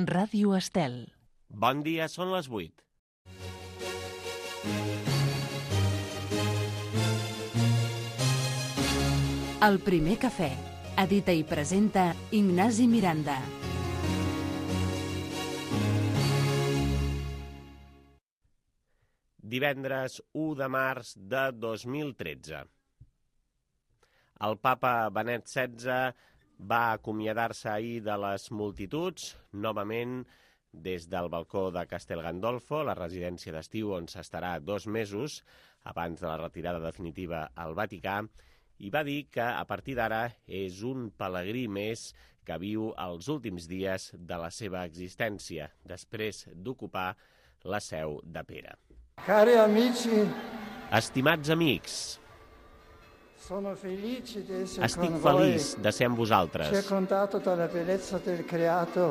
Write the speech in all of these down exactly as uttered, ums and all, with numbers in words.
Ràdio Estel. Bon dia, són les vuit. El primer cafè. Edita i presenta Ignasi Miranda. Divendres u de març de dos mil tretze. El papa Benet setze va acomiadar-se ahir de les multituds, novament des del balcó de Castel Gandolfo, la residència d'estiu on s'estarà dos mesos abans de la retirada definitiva al Vaticà, i va dir que a partir d'ara és un pelegrí més que viu els últims dies de la seva existència, després d'ocupar la seu de Pere. Cari amici, estimats amics, sono felice di essere estic con voi, feliç de ser amb vosaltres, circondato dalla bellezza del creato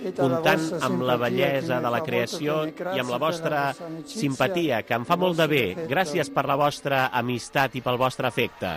e dalla comptant vostra amb la simpatia bellesa che mi de la fa creació molto bene. i amb la Grazie vostra per la vostra amicizia, simpatia, que em fa il molt de vostro bé. affetto. Gràcies per la vostra amistat i pel vostre afecte.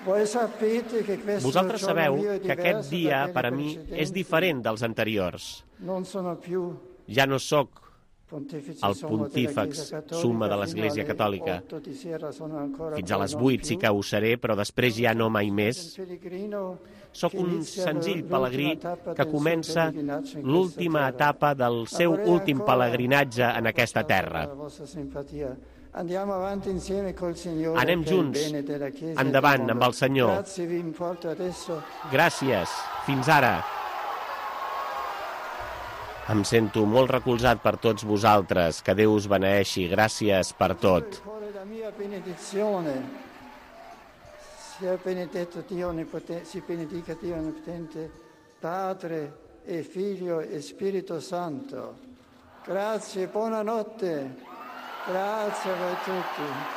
Voi sapete che questo Vosaltres giorno sabeu mio è que aquest diverso dia, da quelli per a mi, precedenti. és diferent dels anteriors. Non sono più Ja no sóc pontefice el sommo della pontífex Chiesa Cattolica, summa de fino l'Església alle Catòlica. otto di sera sono ancora Fins a voi, les non vuit più. sí que ho seré, però després ja no mai més. Un pellegrino Sóc che un inizia senzill l'ultima pelegrí tappa que del suo comença pellegrinaggio in l'última questa terra. etapa del seu Vorrei últim ancora, pelegrinatge en aquesta terra. la vostra simpatia. Andiamo avanti insieme col Signore. Anem per il junts, bene della Chiesa e endavant del mondo. amb el Senyor. Grazie, vi importo adesso. Gràcies. Fins ara. Em sento molt recolzat per tots vosaltres. Que Déu us beneeixi. Gràcies per tot. Cuore la mia benedizione. Sia benedetto Dio onnipotente, si benedica Dio onnipotente, Padre e Figlio e Spirito Santo. Grazie, buonanotte. Grazie a voi tutti.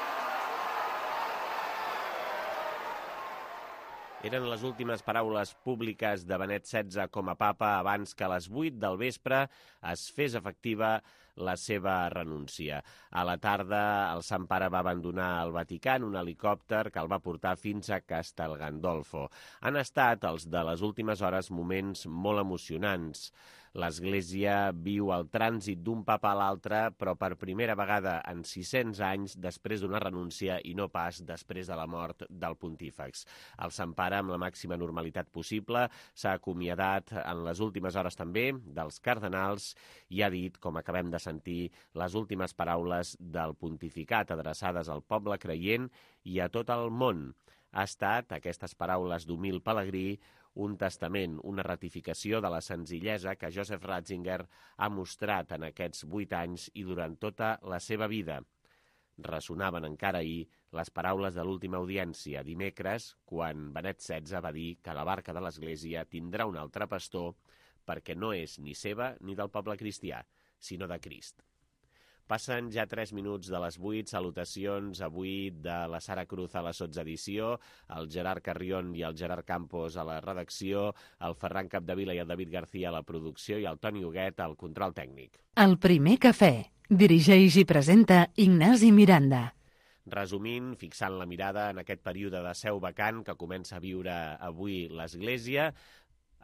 Eren les últimes paraules públiques de Benet setze com a papa abans que a les vuit del vespre es fes efectiva la seva renúncia. A la tarda, el Sant Pare va abandonar el Vaticà en un helicòpter que el va portar fins a Castel Gandolfo. Han estat els de les últimes hores moments molt emocionants. L'Església viu el trànsit d'un papa a l'altre, però per primera vegada en sis-cents anys després d'una renúncia i no pas després de la mort del pontífex. El Sant Pare, amb la màxima normalitat possible, s'ha acomiadat en les últimes hores també dels cardenals i ha dit, com acabem de sentir, les últimes paraules del pontificat adreçades al poble creient i a tot el món. Ha estat, aquestes paraules d'humil pelegrí, un testament, una ratificació de la senzillesa que Joseph Ratzinger ha mostrat en aquests vuit anys i durant tota la seva vida. Ressonaven encara ahir les paraules de l'última audiència, dimecres, quan Benet setze va dir que la barca de l'Església tindrà un altre pastor perquè no és ni seva ni del poble cristià, sinó de Crist. Passen ja tres minuts de les vuit, salutacions avui de la Sara Cruz a la sotsedició, el Gerard Carrion i el Gerard Campos a la redacció, el Ferran Capdevila i el David García a la producció i el Toni Huguet al control tècnic. El primer cafè. Dirigeix i presenta Ignasi Miranda. Resumint, fixant la mirada en aquest període de seu vacant que comença a viure avui l'Església,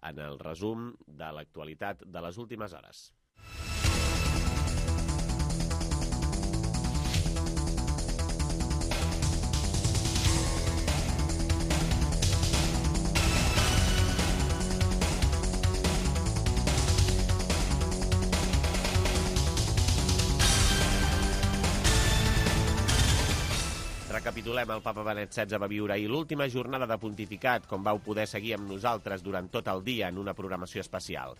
en el resum de l'actualitat de les últimes hores. Recapitulem, el papa Benet setze va viure ahir l'última jornada de pontificat, com vau poder seguir amb nosaltres durant tot el dia en una programació especial.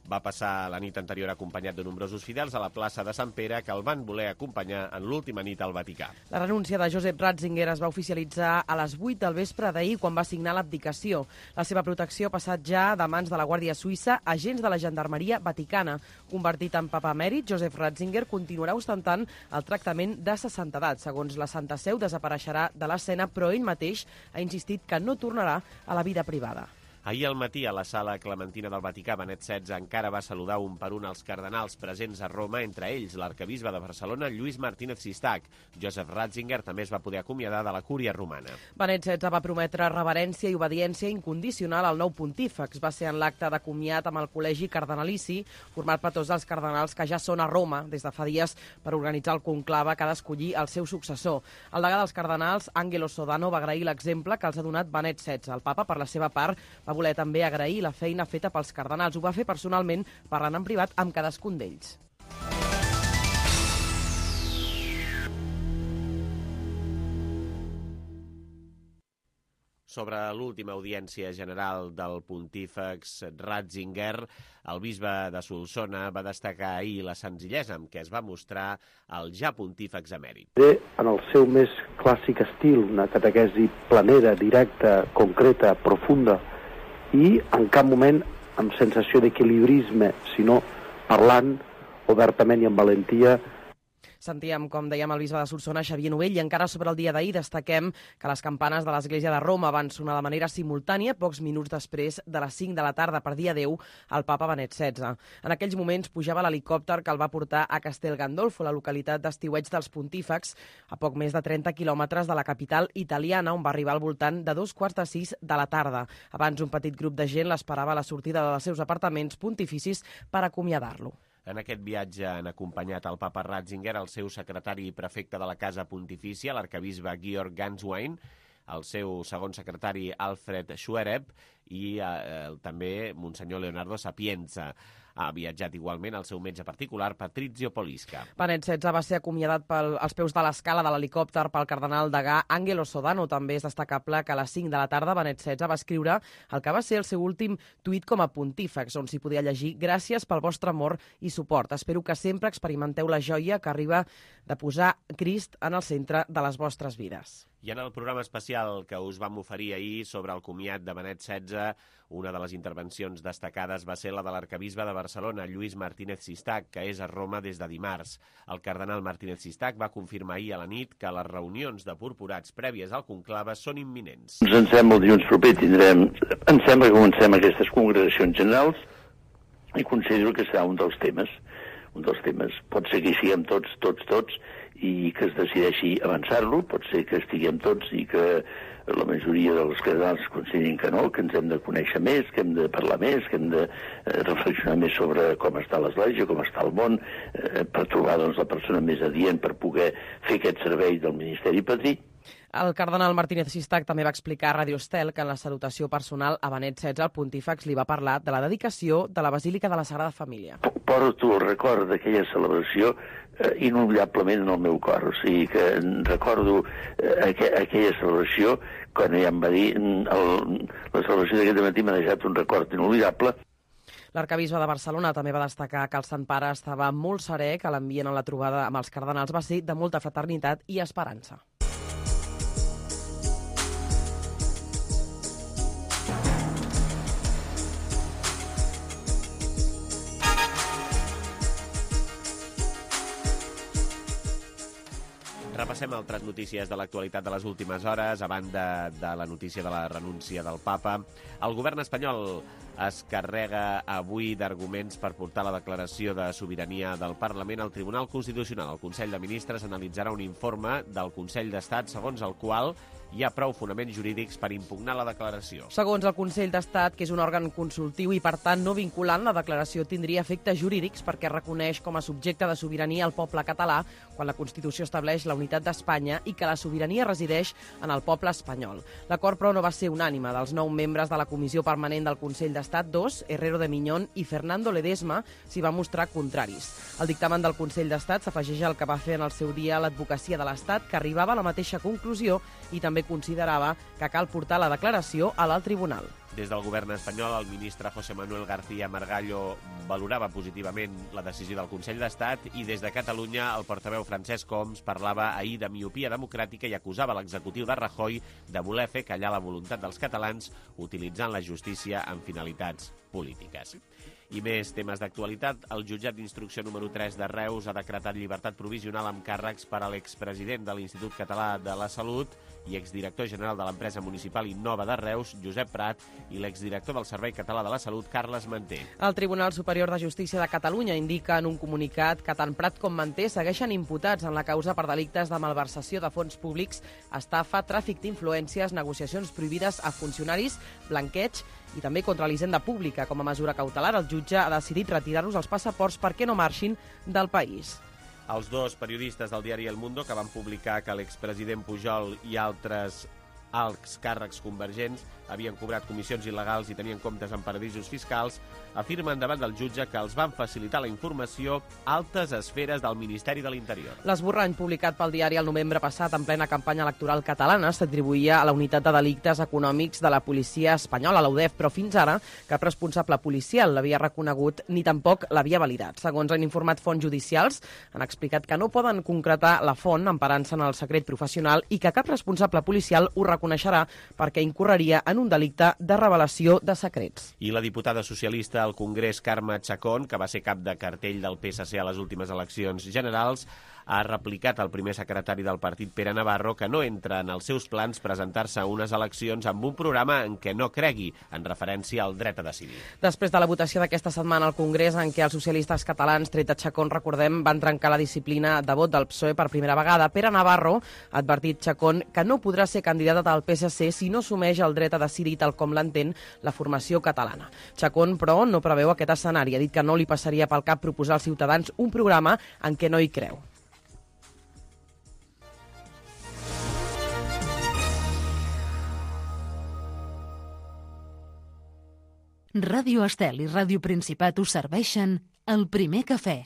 Va passar la nit anterior acompanyat de nombrosos fidels a la plaça de Sant Pere que el van voler acompanyar en l'última nit al Vaticà. La renúncia de Joseph Ratzinger es va oficialitzar a les vuit del vespre d'ahir quan va signar l'abdicació. La seva protecció ha passat ja de mans de la Guàrdia Suïssa a agents de la Gendarmeria Vaticana. Convertit en papa emèrit, Joseph Ratzinger continuarà ostentant el tractament de sessantedat. Segons la Santa Seu, desapareixerà de l'escena, però ell mateix ha insistit que no tornarà a la vida privada. Ahir al matí, a la sala Clementina del Vaticà, Benet setze encara va saludar un per un els cardenals presents a Roma, entre ells l'arcabisbe de Barcelona, Lluís Martínez Sistac. Joseph Ratzinger també es va poder acomiadar de la cúria romana. Benet setze va prometre reverència i obediència incondicional al nou pontífex. Va ser en l'acte de comiat amb el col·legi cardenalici, format per tots els cardenals que ja són a Roma des de fa dies per organitzar el conclave que ha d'escollir el seu successor. El degà dels cardenals, Angelo Sodano, va agrair l'exemple que els ha donat Benet setze. El papa, per la seva part, va voler també agrair la feina feta pels cardenals. Ho va fer personalment, parlant en privat amb cadascun d'ells. Sobre l'última audiència general del pontífex Ratzinger, el bisbe de Solsona va destacar ahir la senzillesa amb què es va mostrar el ja pontífex emèrit. En el seu més clàssic estil, una catequesi planera, directa, concreta, profunda, i en cap moment amb sensació d'equilibrisme, sinó parlant obertament i amb valentia. Sentíem, com dèiem, el bisbe de Solsona, Xavier Novell, i encara sobre el dia d'ahir destaquem que les campanes de l'Església de Roma van sonar de manera simultània pocs minuts després de les cinc de la tarda per dia deu al papa Benet setze. En aquells moments pujava l'helicòpter que el va portar a Castel Gandolfo, la localitat d'estiueig dels pontífex, a poc més de trenta quilòmetres de la capital italiana, on va arribar al voltant de dos quarts de sis de la tarda. Abans, un petit grup de gent l'esperava a la sortida dels seus apartaments pontificis per acomiadar-lo. En aquest viatge han acompanyat el papa Ratzinger, el seu secretari i prefecte de la Casa Pontifícia, l'arcabisbe Georg Ganswein, el seu segon secretari Alfred Schwereb i eh, també Monsenyor Leonardo Sapienza. Ha viatjat igualment el seu metge particular, Patrizio Polisca. Benet setze va ser acomiadat pel, als peus de l'escala de l'helicòpter pel cardenal degà Angelo Sodano. També és destacable que a les cinc de la tarda Benet setze va escriure el que va ser el seu últim tuit com a pontífex, on s'hi podia llegir: gràcies pel vostre amor i suport. Espero que sempre experimenteu la joia que arriba de posar Crist en el centre de les vostres vides. I en el programa especial que us vam oferir ahir sobre el comiat de Benet setze, una de les intervencions destacades va ser la de l'arcabisbe de Barcelona, Lluís Martínez Sistac, que és a Roma des de dimarts. El cardenal Martínez Sistac va confirmar ahir a la nit que les reunions de purpurats prèvies al conclave són imminents. Ens sembla el dilluns proper tindrem... Em sembla que comencem aquestes congregacions generals i considero que serà un dels temes. Un dels temes. Pot ser que hi siguem tots, tots, tots, i que es decideixi avançar-lo, pot ser que estiguem tots i que la majoria dels cardenals considerin que no, que ens hem de conèixer més, que hem de parlar més, que hem de eh, reflexionar més sobre com està l'Església, com està el món, eh, per trobar doncs, la persona més adient per poder fer aquest servei del Ministeri Padrí. El cardenal Martínez Sistac també va explicar a Radio Estel que en la salutació personal a Benet setze el pontífex li va parlar de la dedicació de la Basílica de la Sagrada Família. Porto el record d'aquella celebració eh, inolvidablement en el meu cor. O sigui que recordo eh, aqu aquella celebració, quan ja em va dir el, la celebració d'aquest matí m'ha deixat un record inolvidable. L'arcabisbe de Barcelona també va destacar que el Sant Pare estava molt serè, que l'ambient en la trobada amb els cardenals va ser de molta fraternitat i esperança. Repassem altres notícies de l'actualitat de les últimes hores. A banda de la notícia de la renúncia del papa, el govern espanyol es carrega avui d'arguments per portar la declaració de sobirania del Parlament al Tribunal Constitucional. El Consell de Ministres analitzarà un informe del Consell d'Estat segons el qual hi ha prou fonaments jurídics per impugnar la declaració. Segons el Consell d'Estat, que és un òrgan consultiu i, per tant, no vinculant, la declaració tindria efectes jurídics perquè reconeix com a subjecte de sobirania el poble català quan la Constitució estableix la unitat d'Espanya i que la sobirania resideix en el poble espanyol. L'acord, però, no va ser unànime. Dels nou membres de la Comissió Permanent del Consell d'Estat, dos, Herrero de Miñón i Fernando Ledesma, s'hi van mostrar contraris. El dictamen del Consell d'Estat s'afegeix al que va fer en el seu dia l'advocacia de l'Estat, que arribava a la mateixa conclusió i també considerava que cal portar la declaració a l'alt tribunal. Des del govern espanyol, el ministre José Manuel García Margallo valorava positivament la decisió del Consell d'Estat i des de Catalunya el portaveu Francesc Homs parlava ahir de miopia democràtica i acusava l'executiu de Rajoy de voler fer callar la voluntat dels catalans utilitzant la justícia amb finalitats polítiques. I més temes d'actualitat. El jutjat d'instrucció número tres de Reus ha decretat llibertat provisional amb càrrecs per a l'expresident de l'Institut Català de la Salut i exdirector general de l'empresa municipal Innova de Reus, Josep Prat, i l'exdirector del Servei Català de la Salut, Carles Manté. El Tribunal Superior de Justícia de Catalunya indica en un comunicat que tant Prat com Manté segueixen imputats en la causa per delictes de malversació de fons públics, estafa, tràfic d'influències, negociacions prohibides a funcionaris, blanqueig i també contra l'hisenda pública. Com a mesura cautelar, el jutge ha decidit retirar-los els passaports perquè no marxin del país. Els dos periodistes del diari El Mundo, que van publicar que l'expresident Pujol i altres alts càrrecs convergents havien cobrat comissions il·legals i tenien comptes en paradisos fiscals, afirmen davant del jutge que els van facilitar la informació altes esferes del Ministeri de l'Interior. L'esborrany publicat pel diari el novembre passat en plena campanya electoral catalana s'atribuïa a la Unitat de Delictes Econòmics de la policia espanyola, la U D E F, però fins ara cap responsable policial l'havia reconegut ni tampoc l'havia validat. Segons han informat fonts judicials, han explicat que no poden concretar la font emparant-se en el secret professional i que cap responsable policial ho reconeixerà perquè incorreria en un delicte de revelació de secrets. I la diputada socialista al Congrés, Carme Chacón, que va ser cap de cartell del P S C a les últimes eleccions generals, ha replicat al primer secretari del partit, Pere Navarro, que no entra en els seus plans presentar-se a unes eleccions amb un programa en què no cregui, en referència al dret a decidir. Després de la votació d'aquesta setmana al Congrés, en què els socialistes catalans, tret de Chacón, recordem, van trencar la disciplina de vot del P S O E per primera vegada, Pere Navarro ha advertit Chacón que no podrà ser candidata del P S C si no assumeix el dret a decidir tal com l'entén la formació catalana. Chacón, però, no preveu aquest escenari. Ha dit que no li passaria pel cap proposar als ciutadans un programa en què no hi creu. Ràdio Estel i Ràdio Principat us serveixen el primer cafè.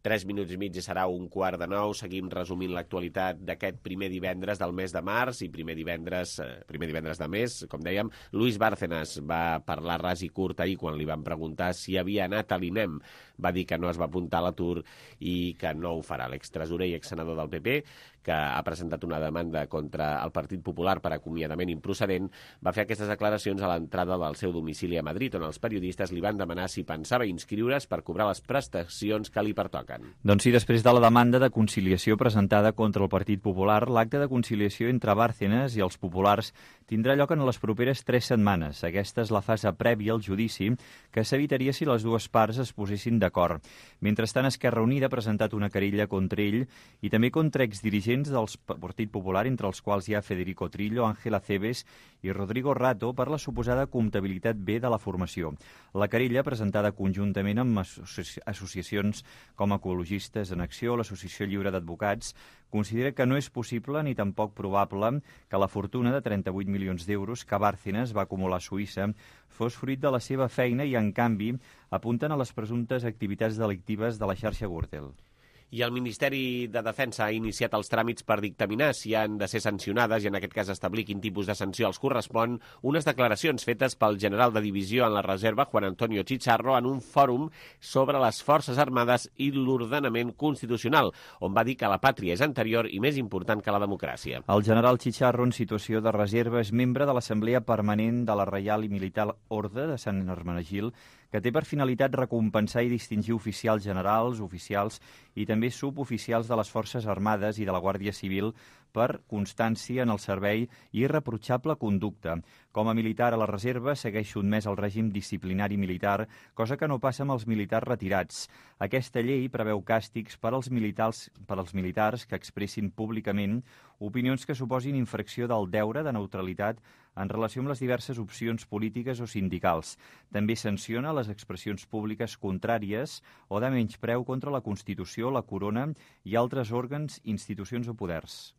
Tres minuts i mig i serà un quart de nou. Seguim resumint l'actualitat d'aquest primer divendres del mes de març i primer divendres, eh, primer divendres de mes, com dèiem. Luis Bárcenas va parlar ras i curt ahir quan li van preguntar si havia anat a l'INEM. Va dir que no es va apuntar a l'atur i que no ho farà. L'extresorer i exsenador del P P, que ha presentat una demanda contra el Partit Popular per acomiadament improcedent, va fer aquestes declaracions a l'entrada del seu domicili a Madrid, on els periodistes li van demanar si pensava inscriure's per cobrar les prestacions que li pertoquen. Doncs sí, després de la demanda de conciliació presentada contra el Partit Popular, l'acte de conciliació entre Bárcenas i els populars tindrà lloc en les properes tres setmanes. Aquesta és la fase prèvia al judici que s'evitaria si les dues parts es posessin d'acord. Mentrestant, Esquerra Unida ha presentat una querella contra ell i també contra exdirigents del Partit Popular, entre els quals hi ha Federico Trillo, Ángel Acebes i Rodrigo Rato, per la suposada comptabilitat B de la formació. La querella, presentada conjuntament amb associ associacions com Ecologistes en Acció o l'Associació Lliure d'Advocats, considera que no és possible ni tampoc probable que la fortuna de trenta-vuit milions d'euros que Bárcenas va acumular a Suïssa fos fruit de la seva feina i, en canvi, apunten a les presumptes activitats delictives de la xarxa Gürtel. I el Ministeri de Defensa ha iniciat els tràmits per dictaminar si han de ser sancionades i en aquest cas establir quin tipus de sanció els correspon unes declaracions fetes pel general de divisió en la reserva, Juan Antonio Chicharro, en un fòrum sobre les Forces Armades i l'ordenament constitucional, on va dir que la pàtria és anterior i més important que la democràcia. El general Chicharro, en situació de reserva, és membre de l'Assemblea Permanent de la Reial i Militar Orde de Sant Hermenegil, que té per finalitat recompensar i distingir oficials generals, oficials i també suboficials de les Forces Armades i de la Guàrdia Civil per constància en el servei i irreprotxable conducta. Com a militar a la reserva segueix sotmès al règim disciplinari militar, cosa que no passa amb els militars retirats. Aquesta llei preveu càstigs per als militars, per als militars que expressin públicament opinions que suposin infracció del deure de neutralitat en relació amb les diverses opcions polítiques o sindicals. També sanciona les expressions públiques contràries o de menyspreu contra la Constitució, la Corona i altres òrgans, institucions o poders.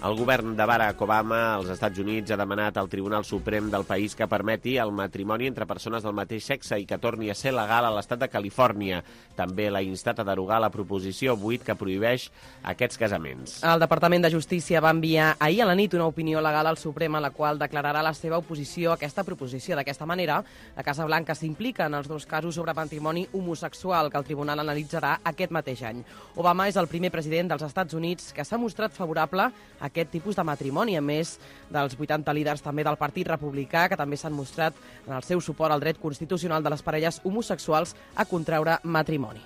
El govern de Barack Obama als Estats Units ha demanat al Tribunal Suprem del país que permeti el matrimoni entre persones del mateix sexe i que torni a ser legal a l'estat de Califòrnia. També l'ha instat a derogar la proposició vuit que prohibeix aquests casaments. El Departament de Justícia va enviar ahir a la nit una opinió legal al Suprem en la qual declararà la seva oposició a aquesta proposició. D'aquesta manera, la Casa Blanca s'implica en els dos casos sobre matrimoni homosexual que el tribunal analitzarà aquest mateix any. Obama és el primer president dels Estats Units que s'ha mostrat favorable a aquest tipus de matrimoni, a més dels vuitanta líders també del Partit Republicà, que també s'han mostrat en el seu suport al dret constitucional de les parelles homosexuals a contraure matrimoni.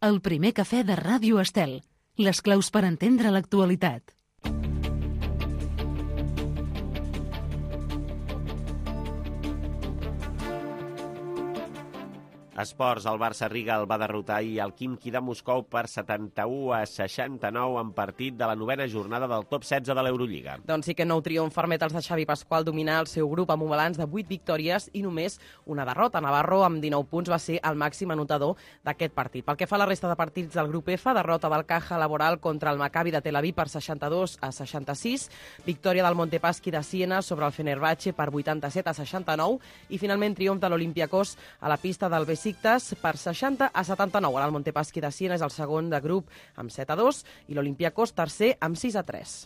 El primer cafè de Ràdio Estel. Les claus per entendre l'actualitat. Esports, el Barça-Riga el va derrotar ahir al Khimki de Moscou per setanta-u a seixanta-nou en partit de la novena jornada del top setze de l'Eurolliga. Doncs sí que nou triomf permet als de Xavi Pasqual dominar el seu grup amb un balanç de vuit victòries i només una derrota. Navarro, amb dinou punts, va ser el màxim anotador d'aquest partit. Pel que fa a la resta de partits del grup F, derrota del Caja Laboral contra el Maccabi de Tel Aviv per seixanta-dos a seixanta-sis, victòria del Montepaschi de Siena sobre el Fenerbahce per vuitanta-set a seixanta-nou i finalment triomf de l'Olympiacos a la pista del Besiktas per seixanta a setanta-nou. Ara el Montepaschi de Siena és el segon de grup amb set a dos i l'Olympiacos tercer amb sis a tres.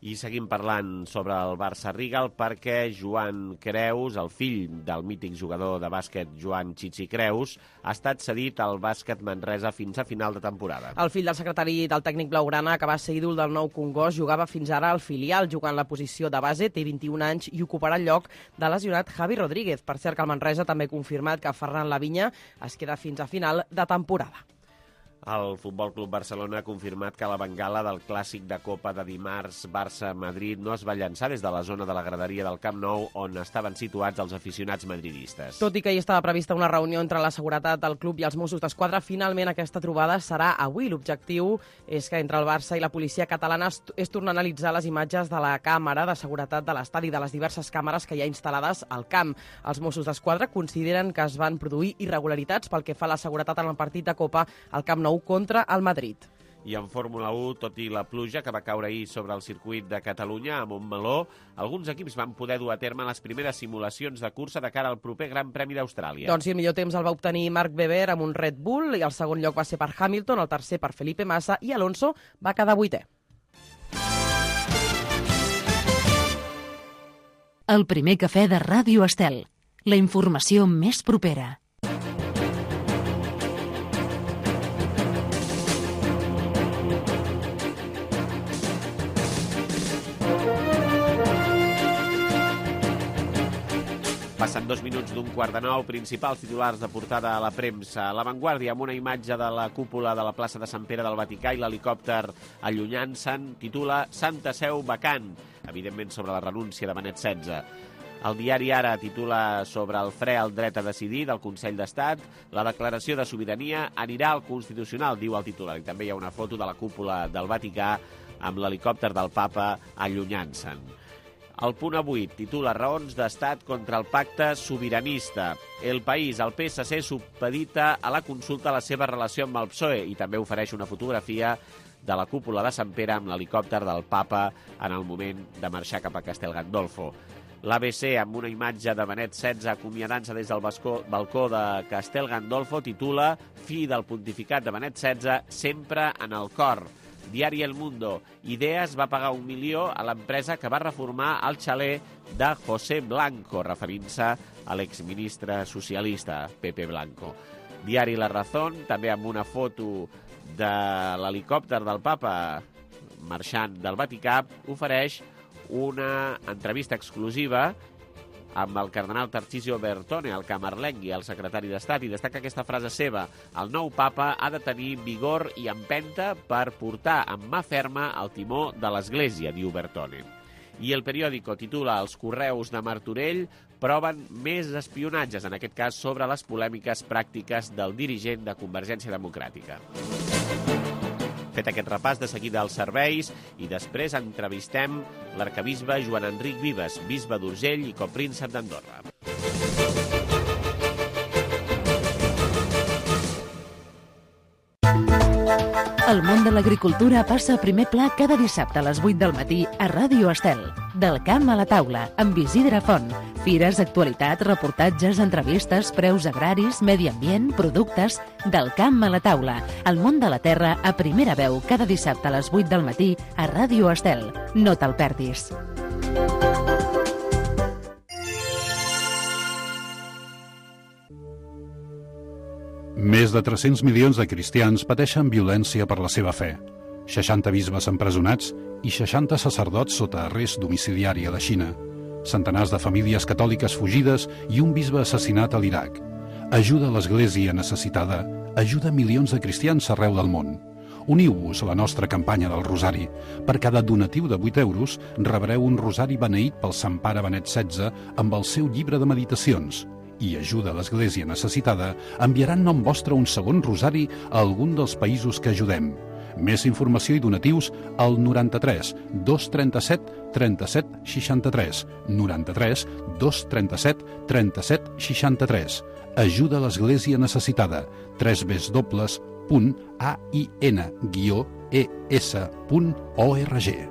I seguim parlant sobre el Barça-Riga perquè Joan Creus, el fill del mític jugador de bàsquet Joan Chichi Creus, ha estat cedit al Bàsquet Manresa fins a final de temporada. El fill del secretari del tècnic blaugrana, que va ser ídol del Nou Congost, jugava fins ara al filial, jugant la posició de base, té vint-i-un anys i ocuparà el lloc de lesionat Javi Rodríguez. Per cert que el Manresa també ha confirmat que Ferran Lavinya es queda fins a final de temporada. El Futbol Club Barcelona ha confirmat que la bengala del clàssic de Copa de dimarts Barça-Madrid no es va llançar des de la zona de la graderia del Camp Nou on estaven situats els aficionats madridistes. Tot i que hi estava prevista una reunió entre la seguretat del club i els Mossos d'Esquadra, finalment aquesta trobada serà avui. L'objectiu és que entre el Barça i la policia catalana es, es torna a analitzar les imatges de la càmera de seguretat de l'estadi, de les diverses càmeres que hi ha instal·lades al camp. Els Mossos d'Esquadra consideren que es van produir irregularitats pel que fa a la seguretat en el partit de Copa al Camp Nou contra el Madrid. I en Fórmula u, tot i la pluja que va caure ahir sobre el circuit de Catalunya, a Montmeló, alguns equips van poder dur a terme les primeres simulacions de cursa de cara al proper Gran Premi d'Austràlia. Doncs sí, el millor temps el va obtenir Marc Webber amb un Red Bull, i el segon lloc va ser per Hamilton, el tercer per Felipe Massa, i Alonso va quedar vuitè. El primer cafè de Ràdio Estel. La informació més propera. Passen dos minuts d'un quart de nou, principals titulars de portada a la premsa. La Vanguardia, amb una imatge de la cúpula de la plaça de Sant Pere del Vaticà i l'helicòpter allunyant-se'n, titula Santa Seu vacant, evidentment sobre la renúncia de Benet setze. El diari Ara titula sobre el fre al dret a decidir del Consell d'Estat. La declaració de sobirania anirà al Constitucional, diu el titular. I també hi ha una foto de la cúpula del Vaticà amb l'helicòpter del papa allunyant-se'n. El Punt avui titula Raons d'Estat contra el pacte sobiranista. El País, el P S C supedita a la consulta la seva relació amb el P S O E i també ofereix una fotografia de la cúpula de Sant Pere amb l'helicòpter del papa en el moment de marxar cap a Castel Gandolfo. L'A B C, amb una imatge de Benet setze acomiadant-se des del balcó, balcó de Castel Gandolfo, titula Fi del pontificat de Benet setze, sempre en el cor. Diari El Mundo. Ideas va pagar un milió a l'empresa que va reformar el xalet de José Blanco, referint-se a l'exministre socialista, Pepe Blanco. Diari La Razón, també amb una foto de l'helicòpter del papa marxant del Vaticà, ofereix una entrevista exclusiva amb el cardenal Tarcisio Bertone, el camarlengui, el secretari d'Estat, i destaca aquesta frase seva: el nou papa ha de tenir vigor i empenta per portar amb mà ferma el timó de l'Església, diu Bertone. I El Periódico titula Els correus de Martorell proven més espionatges, en aquest cas sobre les polèmiques pràctiques del dirigent de Convergència Democràtica. Fet aquest repàs, de seguida als serveis i després entrevistem l'arquebisbe Joan Enric Vives, bisbe d'Urgell i copríncep d'Andorra. El món de l'agricultura passa a primer pla cada dissabte a les vuit del matí a Ràdio Estel. Del camp a la taula, amb Isidre Font. Fires, actualitat, reportatges, entrevistes, preus agraris, medi ambient, productes... Del camp a la taula, el món de la terra a primera veu cada dissabte a les vuit del matí a Ràdio Estel. No te'l perdis. Més de tres-cents milions de cristians pateixen violència per la seva fe. seixanta bisbes empresonats i seixanta sacerdots sota arrest domiciliari a la Xina. Centenars de famílies catòliques fugides i un bisbe assassinat a l'Iraq. Ajuda a l'Església necessitada. Ajuda milions de cristians arreu del món. Uniu-vos a la nostra campanya del Rosari. Per cada donatiu de vuit euros rebreu un rosari beneït pel Sant Pare Benet setze amb el seu llibre de meditacions. I Ajuda a l'Església necessitada enviarà en nom vostre un segon rosari a algun dels països que ajudem. Més informació i donatius al noranta-tres dos trenta-set trenta-set seixanta-tres, noranta-tres dos trenta-set trenta-set seixanta-tres. Ajuda a l'Església necessitada. tres w punt a i n guió e s punt org.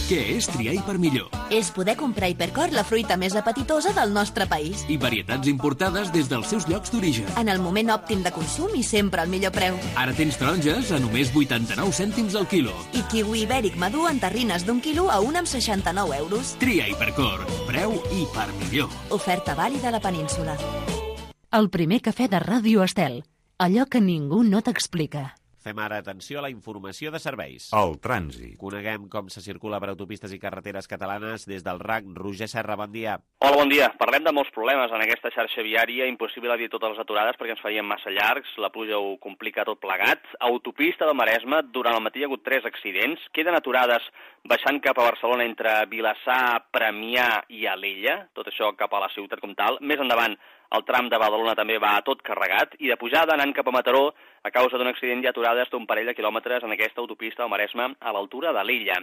Què és triar Hipermillor? És poder comprar Hipercor, la fruita més apetitosa del nostre país. I varietats importades des dels seus llocs d'origen. En el moment òptim de consum i sempre al millor preu. Ara tens taronges a només vuitanta-nou cèntims al quilo. I kiwi ibèric madur en terrines d'un quilo a un amb seixanta-nou euros. Tria Hipercor. Preu Hipermillor. Oferta vàlida a la península. El primer cafè de Ràdio Estel. Allò que ningú no t'explica. Fem ara atenció a la informació de serveis. El trànsit. Coneguem com se circula per autopistes i carreteres catalanes des del R A C. Roger Serra, bon dia. Hola, bon dia. Parlem de molts problemes en aquesta xarxa viària. Impossible dir totes les aturades perquè ens farien massa llargs. La pluja ho complica tot plegat. Autopista del Maresme, durant el matí hi ha hagut tres accidents. Queden aturades baixant cap a Barcelona entre Vilassar, Premià i Alella. Tot això cap a la ciutat com tal. Més endavant, el tram de Badalona també va tot carregat i de pujada anant cap a Mataró, a causa d'un accident hi ha aturades d'un parell de quilòmetres en aquesta autopista del Maresme a l'altura de l'Illa.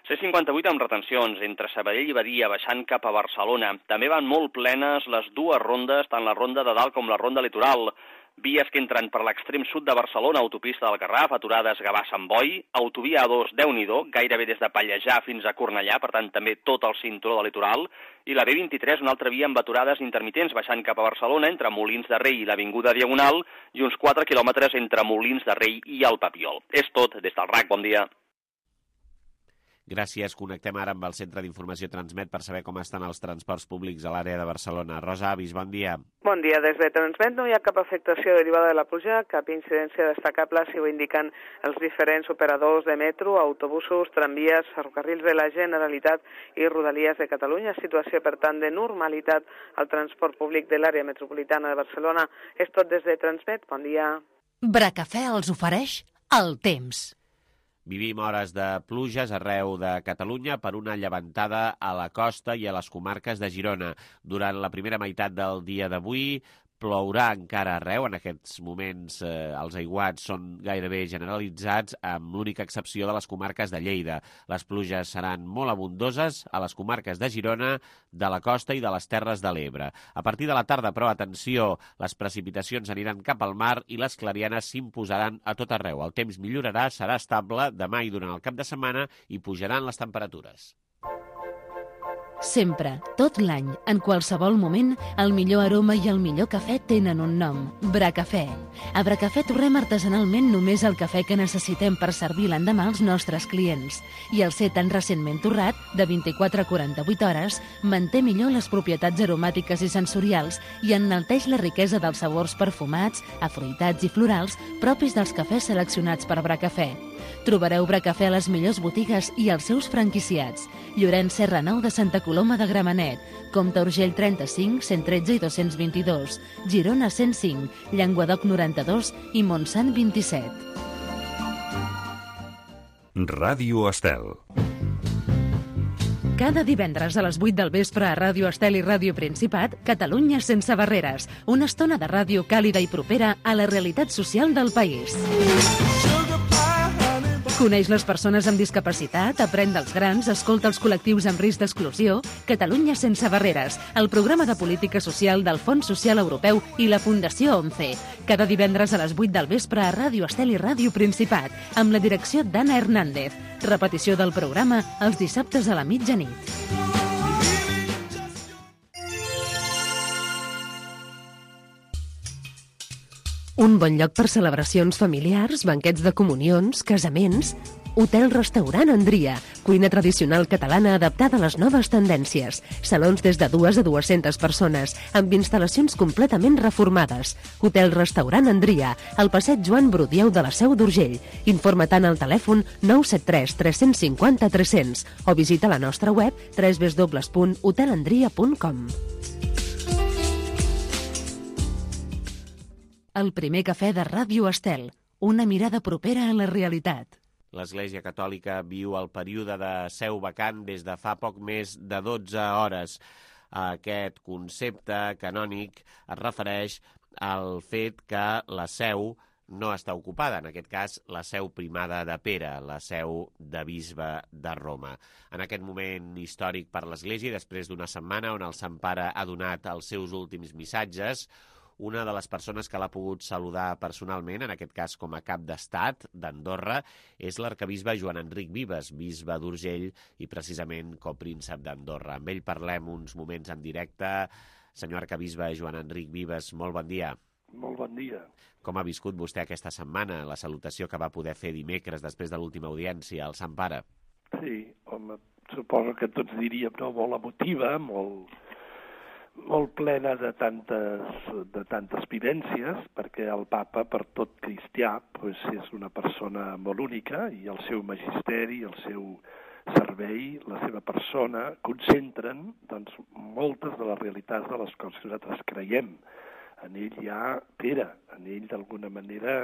C cinquanta-vuit amb retencions entre Sabadell i Badia baixant cap a Barcelona. També van molt plenes les dues rondes, tant la ronda de dalt com la ronda litoral. Vies que entren per l'extrem sud de Barcelona, autopista del Garraf, aturades Gavà-Sant Boi, autovia A dos, Déu-n'hi-do, gairebé des de Pallejà fins a Cornellà, per tant també tot el cinturó del litoral, i la B vint-i-tres, una altra via amb aturades intermitents baixant cap a Barcelona, entre Molins de Rei i l'Avinguda Diagonal, i uns quatre quilòmetres entre Molins de Rei i el Papiol. És tot, des del R A C, bon dia. Gràcies. Connectem ara amb el Centre d'Informació Transmet per saber com estan els transports públics a l'àrea de Barcelona. Rosa Avis, bon dia. Bon dia. Des de Transmet no hi ha cap afectació derivada de la pluja, cap incidència destacable, si ho indiquen els diferents operadors de metro, autobusos, tramvies, ferrocarrils de la Generalitat i Rodalies de Catalunya. Situació, per tant, de normalitat al transport públic de l'àrea metropolitana de Barcelona. És tot des de Transmet. Bon dia. Bracafè els ofereix el temps. Vivim hores de pluges arreu de Catalunya per una llevantada a la costa i a les comarques de Girona. Durant la primera meitat del dia d'avui plourà encara arreu. En aquests moments eh, els aiguats són gairebé generalitzats, amb l'única excepció de les comarques de Lleida. Les pluges seran molt abundoses a les comarques de Girona, de la costa i de les Terres de l'Ebre. A partir de la tarda, però, atenció, les precipitacions aniran cap al mar i les clarianes s'imposaran a tot arreu. El temps millorarà, serà estable demà i durant el cap de setmana i pujaran les temperatures. Sempre, tot l'any, en qualsevol moment, el millor aroma i el millor cafè tenen un nom, Bracafè. A Bracafè torrem artesanalment només el cafè que necessitem per servir l'endemà als nostres clients. I el ser tan recentment torrat, de vint-i-quatre a quaranta-vuit hores, manté millor les propietats aromàtiques i sensorials i enalteix la riquesa dels sabors perfumats, afruitats i florals propis dels cafès seleccionats per Bracafè. Trobareu Bracafè a les millors botigues i als seus franquiciats. Llorenç Serra nou de Santa Coloma de Gramenet, Comte Urgell trenta-cinc, cent tretze i dos-cents vint-i-dos, Girona cent cinc, Llenguadoc noranta-dos i Montsant vint-i-set. Ràdio Estel. Cada divendres a les vuit del vespre a Ràdio Estel i Ràdio Principat, Catalunya sense barreres. Una estona de ràdio càlida i propera a la realitat social del país. Coneix les persones amb discapacitat, aprèn dels grans, escolta els col·lectius amb risc d'exclusió. Catalunya sense barreres, el programa de política social del Fons Social Europeu i la Fundació ONCE. Cada divendres a les vuit del vespre a Ràdio Estel i Ràdio Principat, amb la direcció d'Anna Hernández. Repetició del programa els dissabtes a la mitjanit. Un bon lloc per celebracions familiars, banquets de comunions, casaments Hotel-restaurant Andria, cuina tradicional catalana adaptada a les noves tendències. Salons des de dues a dues-centes persones, amb instal·lacions completament reformades. Hotel-restaurant Andria, al passeig Joan Brudieu de la Seu d'Urgell. Informa tant al telèfon nou set tres tres cinc zero tres zero zero o visita la nostra web w w w punt hotel andria punt com. El primer cafè de Ràdio Estel, una mirada propera a la realitat. L'Església Catòlica viu el període de seu vacant des de fa poc més de dotze hores. Aquest concepte canònic es refereix al fet que la seu no està ocupada, en aquest cas la seu primada de Pere, la seu de bisbe de Roma. En aquest moment històric per l'Església, després d'una setmana on el Sant Pare ha donat els seus últims missatges, una de les persones que l'ha pogut saludar personalment, en aquest cas com a cap d'estat d'Andorra, és l'arquebisbe Joan Enric Vives, bisbe d'Urgell i precisament copríncep d'Andorra. Amb ell parlem uns moments en directe. Senyor arquebisbe Joan Enric Vives, molt bon dia. Molt bon dia. Com ha viscut vostè aquesta setmana, la salutació que va poder fer dimecres després de l'última audiència al Sant Pare? Sí, home, suposo que tots diríem, no?, molt emotiva, molt... molt plena de tantes, de tantes vivències, perquè el papa, per tot cristià, pues, és una persona molt única i el seu magisteri, el seu servei, la seva persona, concentren doncs, moltes de les realitats de les coses que nosaltres creiem. En ell hi ha Pere, en ell d'alguna manera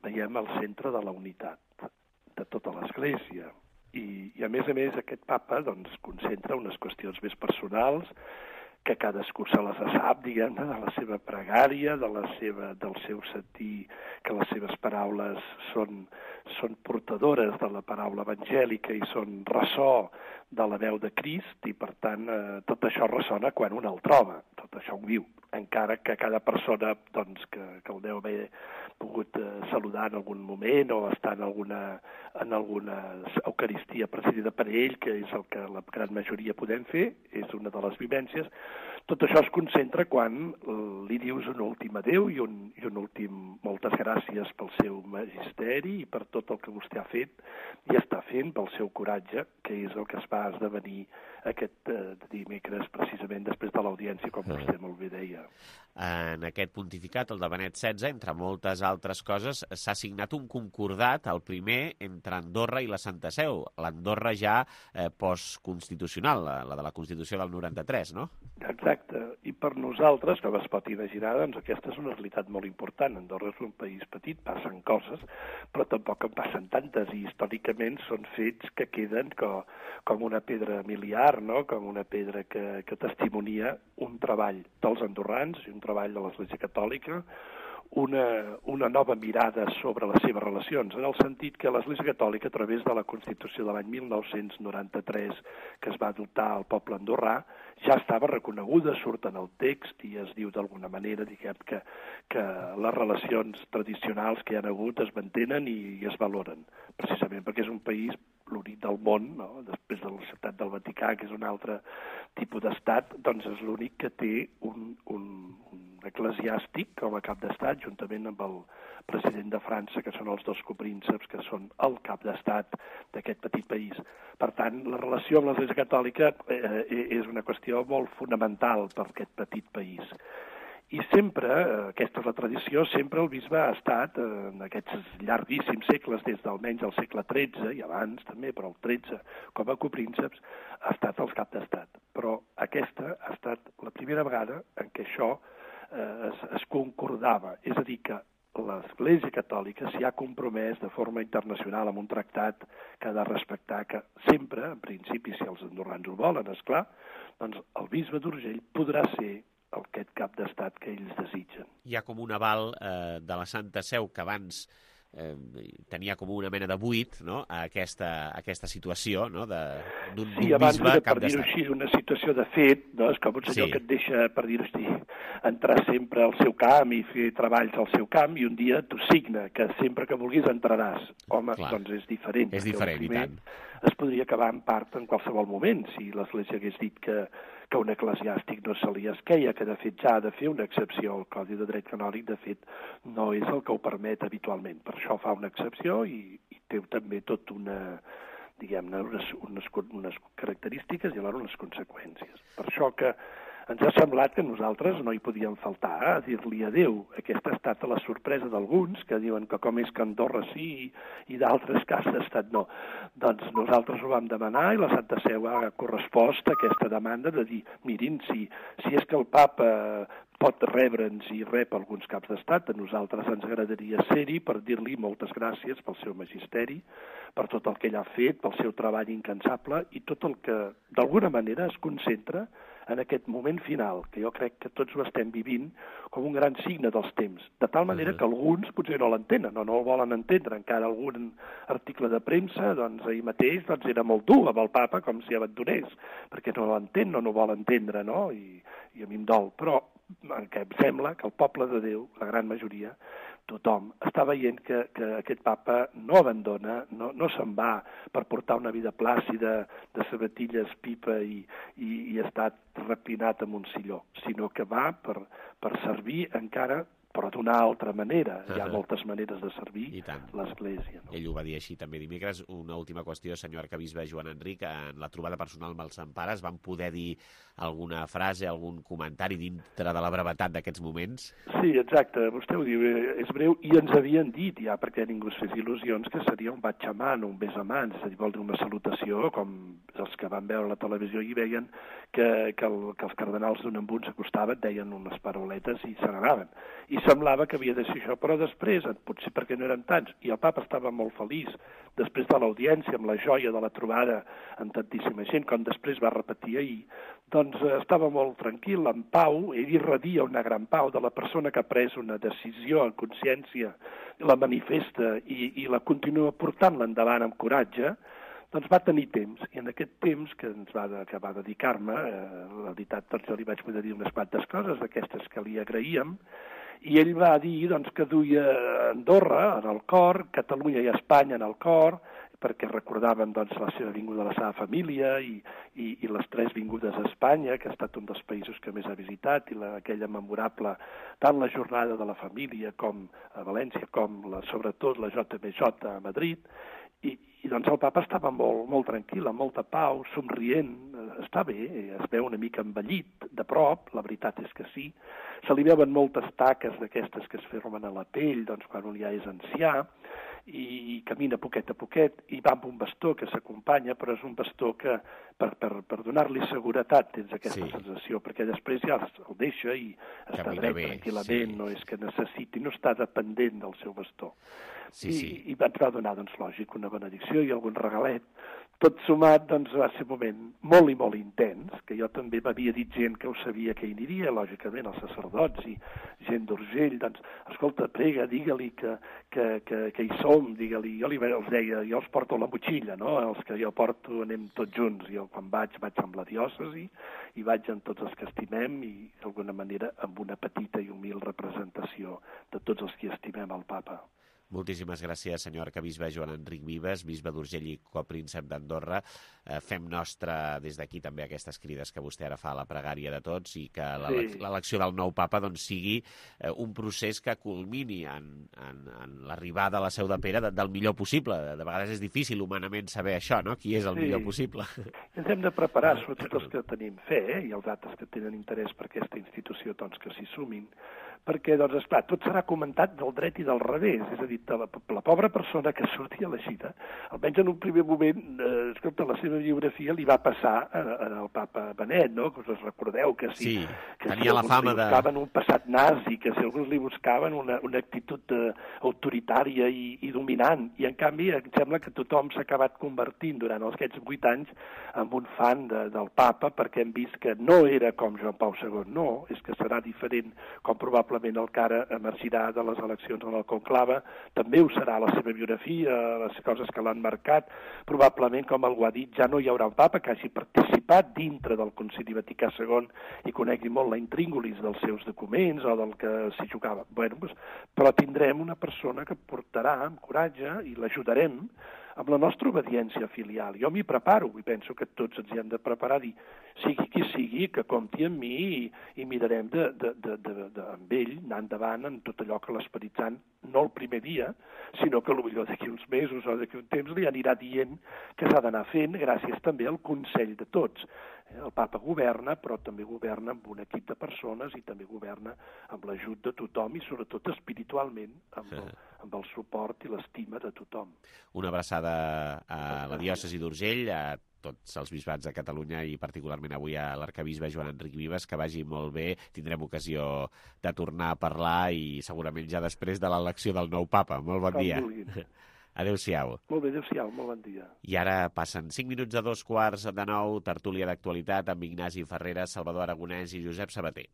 veiem el centre de la unitat de tota l'Església. I, i a més a més aquest papa doncs, concentra unes qüestions més personals, que cadascú se les sap, diguem, de la seva pregària, de la seva, del seu sentir, que les seves paraules són, són portadores de la paraula evangèlica i són ressò de la veu de Crist, i per tant eh, tot això ressona quan un el troba, tot això ho viu, encara que cada persona doncs, que, que el deu haver pogut eh, saludar en algun moment o estar en alguna, en alguna eucaristia presidida per ell, que és el que la gran majoria podem fer, és una de les vivències. Tot això es concentra quan li dius un últim adéu i un, i un últim moltes gràcies pel seu magisteri i per tot el que vostè ha fet i està fent, pel seu coratge, que és el que es va esdevenir aquest eh, dimecres, precisament després de l'audiència, com mm. vostè molt bé deia. En aquest pontificat, el de Benet setze, entre moltes altres coses, s'ha signat un concordat, el primer, entre Andorra i la Santa Seu, l'Andorra ja eh, postconstitucional, la, la de la Constitució del noranta-tres, no? Exacte, i per nosaltres, com es pot imaginar, doncs aquesta és una realitat molt important. Andorra és un país petit, passen coses, però tampoc en passen tantes, i històricament són fets que queden com, com una pedra miliar, no? Com una pedra que, que testimonia un treball dels andorrans i un treball de l'Església Catòlica, una, una nova mirada sobre les seves relacions, en el sentit que l'Església Catòlica, a través de la Constitució de l'any mil nou-cents noranta-tres, que es va adoptar al poble andorrà, ja estava reconeguda, surt en el text i es diu d'alguna manera, diguem, que, que les relacions tradicionals que hi ha hagut es mantenen i, i es valoren, precisament perquè és un país l'únic del món, no? Després de la ciutat del Vaticà, que és un altre tipus d'estat, doncs és l'únic que té un, un, un eclesiàstic com a cap d'estat, juntament amb el president de França, que són els dos coprínceps, que són el cap d'estat d'aquest petit país. Per tant, la relació amb l'Església Catòlica eh, és una qüestió molt fonamental per aquest petit país. I sempre, aquesta és la tradició, sempre el bisbe ha estat, en aquests llarguíssims segles, des d'almenys el segle tretze, i abans també, però el tretze, com a coprínceps, ha estat el cap d'estat. Però aquesta ha estat la primera vegada en què això eh, es, es concordava, és a dir, que l'Església Catòlica s'hi ha compromès de forma internacional amb un tractat que ha de respectar que sempre, en principi, si els andorrans ho volen, esclar, doncs el bisbe d'Urgell podrà ser aquest cap d'estat que ells desitgen. Hi ha com un aval eh, de la Santa Seu que abans eh, tenia com una mena de buit, no?, a aquesta, a aquesta situació, no?, d'un sí, bisbe cap d'estat. Sí, abans, per dir-ho així, una situació de fet, no?, és com un senyor sí. que et deixa, per dir-ho així, entrar sempre al seu camp i fer treballs al seu camp, i un dia t'ho signa, que sempre que vulguis entraràs. Home, Clar. doncs és diferent. És diferent, i tant. Es podria acabar en part en qualsevol moment, si l'Església hagués dit que, que un eclesiàstic no se li esqueia, que de fet ja ha de fer una excepció. El Codi de Dret Canònic, de fet, no és el que ho permet habitualment. Per això fa una excepció i, i té també tot una, diguem-ne, unes, unes, unes característiques i alhora unes conseqüències. Per això que ens ha semblat que nosaltres no hi podíem faltar a dir-li adéu. Aquesta ha estat la sorpresa d'alguns, que diuen que com és que Andorra sí i, i d'altres que ha estat no. Doncs nosaltres ho vam demanar i la Santa Seu ha correspost a aquesta demanda de dir, mirin, si, si és que el papa pot rebre'ns i rep alguns caps d'estat, a nosaltres ens agradaria ser-hi per dir-li moltes gràcies pel seu magisteri, per tot el que ell ha fet, pel seu treball incansable i tot el que d'alguna manera es concentra en aquest moment final, que jo crec que tots ho estem vivint com un gran signe dels temps, de tal manera que alguns potser no l'entenen o no el volen entendre. Encara algun article de premsa, doncs ahir mateix doncs, era molt dur amb el papa, com si abandonés, perquè no l'entén, no no vol entendre, no? I, i a mi em dol. Però que em sembla que el poble de Déu, la gran majoria, tothom està veient que, que aquest papa no abandona, no, no se'n va per portar una vida plàcida de sabatilles, pipa i, i, i estar repinat en un silló, sinó que va per, per servir encara, però d'una altra manera. Hi ha moltes maneres de servir l'Església. No? Ell ho va dir així també dimecres. Una última qüestió, senyor arquebisbe Joan Enric, en la trobada personal amb els Sant Pares van poder dir alguna frase, algun comentari dintre de la brevetat d'aquests moments? Sí, exacte, vostè ho diu, és breu, i ens havien dit ja, perquè ningú es fes il·lusions, que seria un baig a mano, un bes a mans, és a dir, vol dir una salutació, com els que van veure la televisió i veien que, que, el, que els cardenals d'un en un s'acostaven, deien unes paroletes i se n'anaven. I semblava que havia de ser això, però després, potser perquè no eren tants, i el papa estava molt feliç, després de l'audiència, amb la joia de la trobada amb tantíssima gent, com després va repetir ahir, doncs estava molt tranquil, en pau, ell irradia una gran pau de la persona que ha pres una decisió en consciència, la manifesta i, i la continua portant-la endavant amb coratge, doncs va tenir temps, i en aquest temps que ens va, que va dedicar-me, eh, la veritat, doncs jo li vaig poder dir unes quantes coses d'aquestes que li agraïem, i ell va dir doncs, que duia Andorra en el cor, Catalunya i Espanya en el cor, perquè recordaven doncs, la seva vinguda a la seva família i, i, i les tres vingudes a Espanya, que ha estat un dels països que més ha visitat, i la, aquella memorable, tant la jornada de la família com a València, com la, sobretot la J M J a Madrid, i, i doncs el papa estava molt, molt tranquil, amb molta pau, somrient, està bé, es veu una mica envellit de prop, la veritat és que sí, se li veuen moltes taques d'aquestes que es formen a la pell, doncs quan un ja és ancià, i camina poquet a poquet, i va amb un bastó que s'acompanya, però és un bastó que per, per, per donar-li seguretat tens aquesta sí. sensació, perquè després ja el deixa i està camina dret bé, tranquil·lament, sí. no és que necessiti, no està dependent del seu bastó. Sí, I, sí. i ens va donar, doncs, lògic, una benedicció i algun regalet. Tot sumat, doncs, va ser un moment molt i molt intens, que jo també m'havia dit gent que ho sabia que hi aniria, lògicament, els sacerdots i gent d'Urgell, doncs, escolta, prega, digue-li que, que, que, que hi som, digue-li, jo li els deia, jo els porto la motxilla, no?, els que jo porto anem tots junts, jo quan vaig, vaig amb la diòcesi, i vaig amb tots els que estimem, i d'alguna manera amb una petita i humil representació de tots els que estimem el papa. Moltíssimes gràcies, senyor arquebisbe Joan Enric Vives, bisbe d'Urgell i copríncep d'Andorra. Eh, fem nostra des d'aquí també aquestes crides que vostè ara fa a la pregària de tots i que l'elecció del nou papa doncs, sigui eh, un procés que culmini en, en, en l'arribada a la Seu de Pere de, del millor possible. De vegades és difícil humanament saber això, no? Qui és el sí. millor possible. Ens hem de preparar, sobretot els que tenim fe, eh? I els altres que tenen interès per aquesta institució, doncs que s'hi sumin, perquè, doncs, esclar, tot serà comentat del dret i del revés, és a dir, la, la pobra persona que surti elegida, almenys en un primer moment, eh, escolta, la seva biografia li va passar al papa Benet, no? Que us recordeu que si, sí, que tenia si la fama li buscaven de... un passat nazi, que si alguns li buscaven una, una actitud eh, autoritària i, i dominant, i en canvi em sembla que tothom s'ha acabat convertint durant aquests vuit anys en un fan de, del papa, perquè hem vist que no era com Joan Pau segon, no, és que serà diferent, com probablement el que ara emergirà de les eleccions en el conclave, també ho serà la seva biografia, les coses que l'han marcat, probablement, com algú ha dit, ja no hi haurà un papa que hagi participat dintre del Concili Vaticà segon i conegui molt la intríngulis dels seus documents o del que s'hi jugava. Bueno, doncs, però tindrem una persona que portarà amb coratge i l'ajudarem amb la nostra obediència filial. Jo m'hi preparo i penso que tots ens hi hem de preparar, dir, sigui qui sigui, que compti amb mi i, i mirarem de, de, de, de, de, amb ell, anar endavant en tot allò que l'Esperit Sant, no el primer dia, sinó que potser d'aquí uns mesos o d'aquí un temps li anirà dient que s'ha d'anar fent gràcies també al consell de tots. El papa governa, però també governa amb un equip de persones i també governa amb l'ajut de tothom i sobretot espiritualment amb el, amb el suport i l'estima de tothom. Una abraçada a la diòcesi d'Urgell, a tots els bisbats de Catalunya i particularment avui a l'arcabisbe Joan Enric Vives, que vagi molt bé. Tindrem ocasió de tornar a parlar i segurament ja després de l'elecció del nou papa. Molt bon dia. Adéu-siau. Molt bé, adéu-siau, molt bon dia. I ara passen cinc minuts a dos quarts de nou, tertúlia d'actualitat amb Ignasi Ferreras, Salvador Aragonès i Josep Sabater.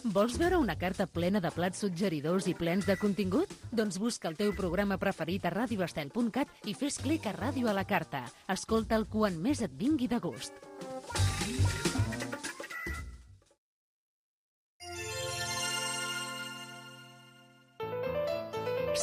Vols veure una carta plena de plats suggeridors i plens de contingut? Doncs busca el teu programa preferit a radio estel punt cat i fes clic a Ràdio a la Carta. Escolta'l quan més et vingui de gust.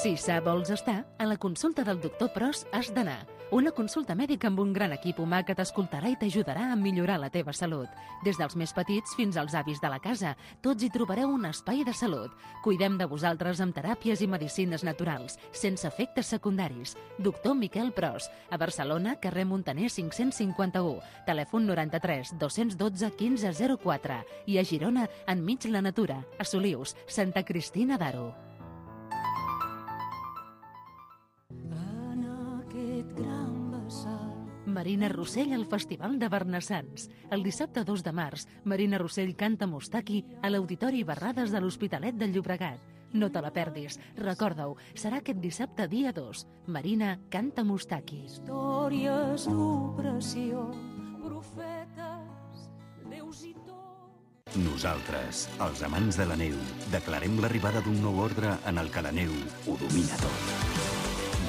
Si sa vols estar, a la consulta del doctor Pros has d'anar. Una consulta mèdica amb un gran equip humà que t'escoltarà i t'ajudarà a millorar la teva salut. Des dels més petits fins als avis de la casa, tots hi trobareu un espai de salut. Cuidem de vosaltres amb teràpies i medicines naturals, sense efectes secundaris. Doctor Miquel Pros, a Barcelona, carrer Montaner cinc-cents cinquanta-u, telèfon noranta-tres dos-cents dotze quinze zero quatre i a Girona, enmig la natura, a Solius, Santa Cristina d'Aro. Marina Rossell al Festival de Barnassans. El dissabte dos de març, Marina Rossell canta Mustaki a l'Auditori Barrades de l'Hospitalet del Llobregat. No te la perdis, recorda-ho, serà aquest dissabte dia dos. Marina canta Mustaki. Històries d'opressió, profetes, déus i tot. Nosaltres, els amants de la neu, declarem l'arribada d'un nou ordre en el que la neu ho domina tot.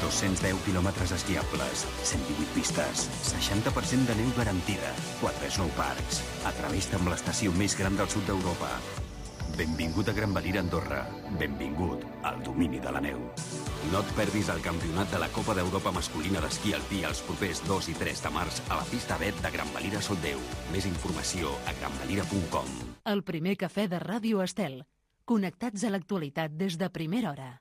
dos-cents deu quilòmetres esquiables, cent divuit pistes, seixanta per cent de neu garantida, quatre snowparks. Atreveix-te amb l'estació més gran del sud d'Europa. Benvingut a Gran Valira, Andorra. Benvingut al domini de la neu. No et perdis el campionat de la Copa d'Europa masculina d'esquí alpí els propers dos i tres de març a la pista B E T de Gran Valira Soldeu. Més informació a gran valira punt com. El primer cafè de Ràdio Estel. Connectats a l'actualitat des de primera hora.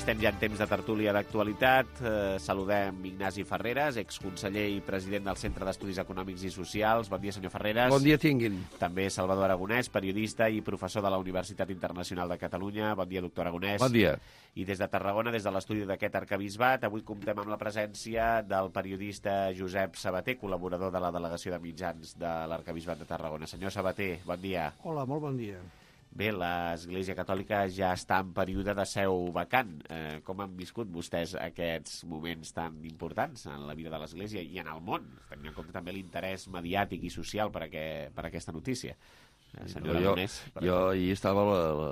Estem ja en temps de tertúlia d'actualitat. Eh, saludem Ignasi Ferreras, exconseller i president del Centre d'Estudis Econòmics i Socials. Bon dia, senyor Ferreras. Bon dia tinguin. També Salvador Aragonès, periodista i professor de la Universitat Internacional de Catalunya. Bon dia, doctor Aragonès. Bon dia. I des de Tarragona, des de l'estudi d'aquest arcabisbat, avui comptem amb la presència del periodista Josep Sabater, col·laborador de la Delegació de Mitjans de l'arcabisbat de Tarragona. Senyor Sabater, bon dia. Hola, molt bon dia. Bé, l'Església Catòlica ja està en període de seu vacant. Eh, com han viscut vostès aquests moments tan importants en la vida de l'Església i en el món, tenint en compte també l'interès mediàtic i social per, aquest, per aquesta notícia? Eh, senyor no, Aragonès, jo, jo ahir estava la, la,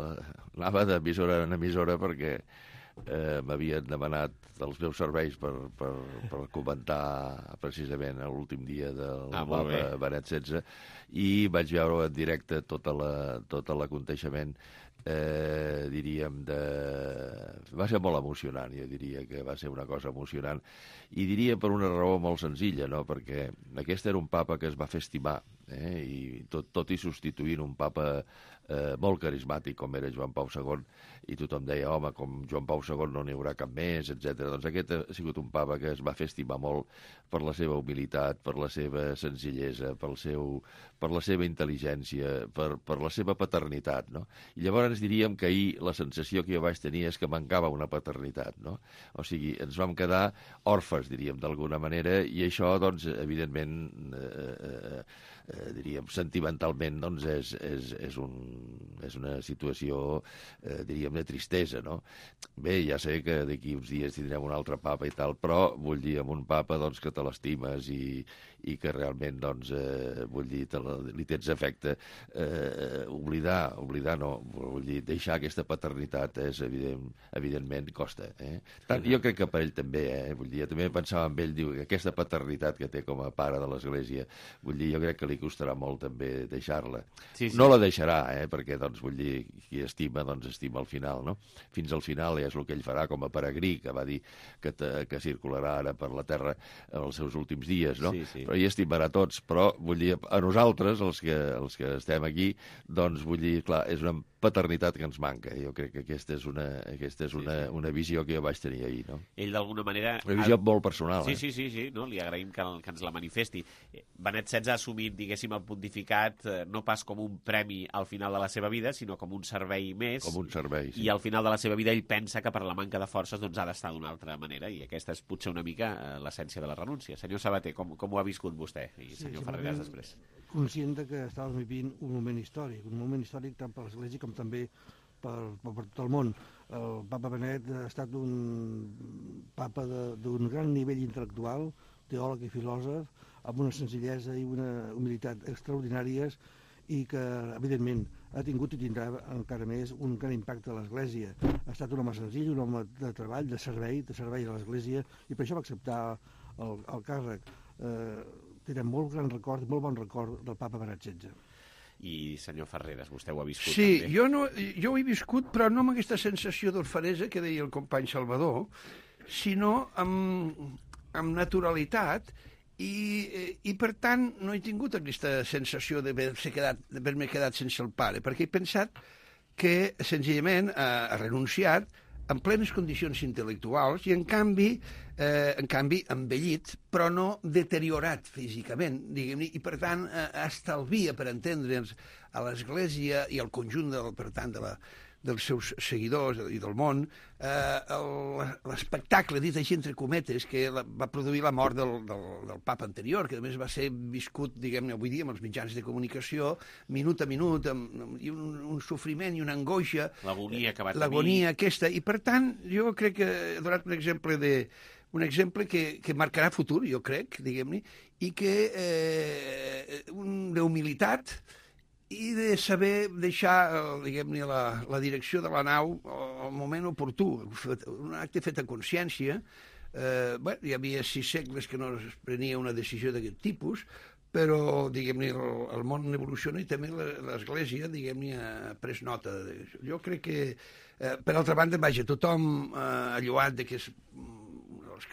anava d'emissora en emissora perquè eh, m'havien demanat els meus serveis per, per, per comentar precisament l'últim dia del ah, Papa Benet setze i vaig veure en directe tot l'aconteixement, eh, diríem, de... va ser molt emocionant, jo diria que va ser una cosa emocionant, i diria per una raó molt senzilla, no? Perquè aquest era un papa que es va fer estimar eh? I tot, tot i substituint un papa eh, molt carismàtic com era Joan Pau segon, i tothom deia, home, com Joan Pau segon no n'hi haurà cap més, etcètera. Doncs aquest ha sigut un papa que es va fer estimar molt per la seva humilitat, per la seva senzillesa, pel seu, per la seva intel·ligència, per, per la seva paternitat, no? I llavors diríem que ahir la sensació que jo vaig tenir és que mancava una paternitat, no? O sigui, ens vam quedar òrfes, diríem, d'alguna manera, i això, doncs, evidentment, eh, eh, eh, diríem, sentimentalment, doncs, és, és, és, un, és una situació, eh, diríem, de tristesa, no? Bé, ja sé que d'aquí uns dies tindrem un altre papa i tal, però vull dir, amb un papa, doncs, que te l'estimes i, i que realment, doncs, eh, vull dir, te la, li tens afecte, eh, oblidar, oblidar no, vull dir, deixar aquesta paternitat és evident, evidentment costa, eh? Tant, jo crec que per ell també, eh? Vull dir, jo també pensava amb ell, diu, que aquesta paternitat que té com a pare de l'Església, vull dir, jo crec que li costarà molt també deixar-la. Sí, sí. No la deixarà, eh? Perquè, doncs, vull dir, qui estima, doncs, estima al final, no? Fins al final ja és el que ell farà com a peregrí, que va dir que, te, que circularà ara per la terra en els seus últims dies, no? Sí, sí. Però hi estimarà tots, però vull dir, a nosaltres, els que, els que estem aquí, doncs vull dir, clar, és una paternitat que ens manca. Jo crec que aquesta és una, aquesta és una, sí, sí. una visió que jo vaig tenir ahir, no? Ell d'alguna manera... Una visió molt personal, sí, eh? Sí, sí, sí, no? Li agraïm que, que ens la manifesti. Benet setze ha assumit, diguéssim, el pontificat no pas com un premi al final de la seva vida, sinó com un servei més. Com un servei, sí. I al final de la seva vida ell pensa que per la manca de forces doncs, ha d'estar d'una altra manera, i aquesta és potser una mica l'essència de la renúncia. Senyor Sabater, com, com ho ha viscut vostè? I senyor sí, Ferreras després. Conscient que estàvem vivint un moment històric, un moment històric tant per l'Església com també per, per tot el món. El papa Benet ha estat un papa d'un gran nivell intel·lectual, teòleg i filòsof, amb una senzillesa i una humilitat extraordinàries, i que, evidentment, ha tingut i tindrà encara més un gran impacte a l'Església. Ha estat un home senzill, un home de treball, de servei, de servei a l'Església, i per això va acceptar el, el càrrec. Eh, tenen molt gran record, molt bon record del papa Benet setze. I, senyor Ferreras, vostè ho ha viscut sí, també? Sí, jo, no, jo ho he viscut, però no amb aquesta sensació d'orfanesa que deia el company Salvador, sinó amb, amb naturalitat, i, i per tant no he tingut aquesta sensació d'haver-me quedat, d'haver-me quedat sense el pare, perquè he pensat que senzillament ha, ha renunciat en plenes condicions intel·lectuals i en canvi, eh, en canvi envellit, però no deteriorat físicament, diguem-ne, i per tant eh, estalvia, per entendre'ns, a l'Església i al conjunt del, per tant, de la, dels seus seguidors i del món, eh, l'espectacle, dit així entre cometes, que la, va produir la mort del, del, del papa anterior, que a més va ser viscut, diguem-ne, avui dia amb els mitjans de comunicació, minut a minut, amb, amb, i un, un sofriment i una angoixa. L'agonia que va tenir. L'agonia aquesta, i per tant, jo crec que he donat un exemple de un exemple que, que marcarà futur, jo crec, diguem-ne, i que eh, un, d'humilitat, i de saber deixar, diguem-ne, la, la direcció de la nau al moment oportú, un acte fet a consciència. Eh, bueno, hi havia sis segles que no es prenia una decisió d'aquest tipus, però, diguem-ne, el, el món evoluciona i també l'Església, diguem-ne, ha pres nota d'això. Jo crec que, eh, per altra banda, vaja, tothom eh, ha lloat de que és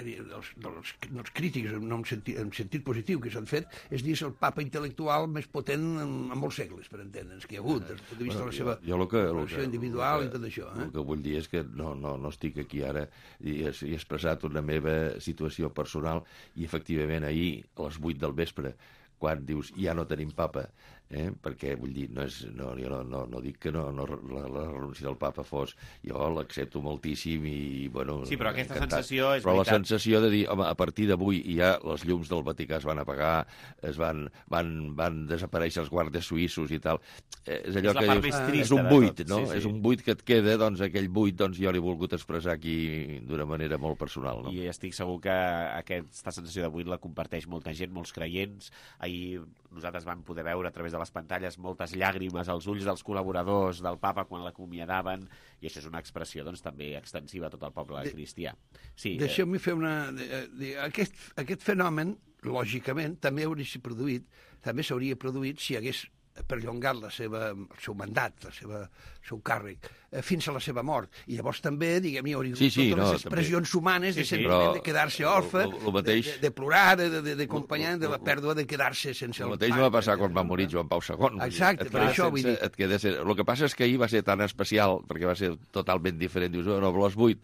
dels, dels, dels, dels crítics en, en, sentit, en sentit positiu que s'han fet, és dir, el papa intel·lectual més potent en, en molts segles, per entendre'ns, que hi ha hagut, des del punt de vista bueno, de la seva jo, jo que, relació individual que, i tot això. Eh? El que vull dir és que no, no, no estic aquí ara i he, he expressat una meva situació personal i efectivament ahir a les vuit del vespre, quan dius ja no tenim papa, eh? Perquè vull dir, no, és, no, jo no, no, no dic que no, no, la, la renúncia del papa fos, jo l'accepto moltíssim i, bueno... Sí, però aquesta encantat. sensació és però veritat. la sensació de dir, home, a partir d'avui ja les llums del Vaticà es van apagar, es van, van, van desaparèixer els guàrdies suïssos i tal, eh, és allò és que dius, ah, és un buit, no? Sí, sí. És un buit que et queda, doncs aquell buit doncs jo l'he volgut expressar aquí d'una manera molt personal, no? I estic segur que aquesta sensació de buit la comparteix molta gent, molts creients. Ahir nosaltres vam poder veure a través de les pantalles moltes llàgrimes als ulls dels col·laboradors del papa quan l'acomiadaven, i això és una expressió doncs, també extensiva a tot el poble de, cristià. Sí, Deixeu-me fer una... De, de, aquest, aquest fenomen, lògicament, també hauria produït, també s'hauria produït si hagués perllongat la seva, el seu mandat, la seva, el seu càrrec, eh, fins a la seva mort. I llavors també, diguem, hi hauria sí, sí, totes no, les expressions també. humanes sí, de sí, sentiment de quedar-se orfe, lo, lo mateix, de, de plorar, de, de acompanyar, de la pèrdua de quedar-se sense el El mateix pare. va passar quan va morir Joan Pau segon. Exacte, per això vull dir. Et queda ser... El que passa és que ahir va ser tan especial, perquè va ser totalment diferent. Dius, no, a les vuit,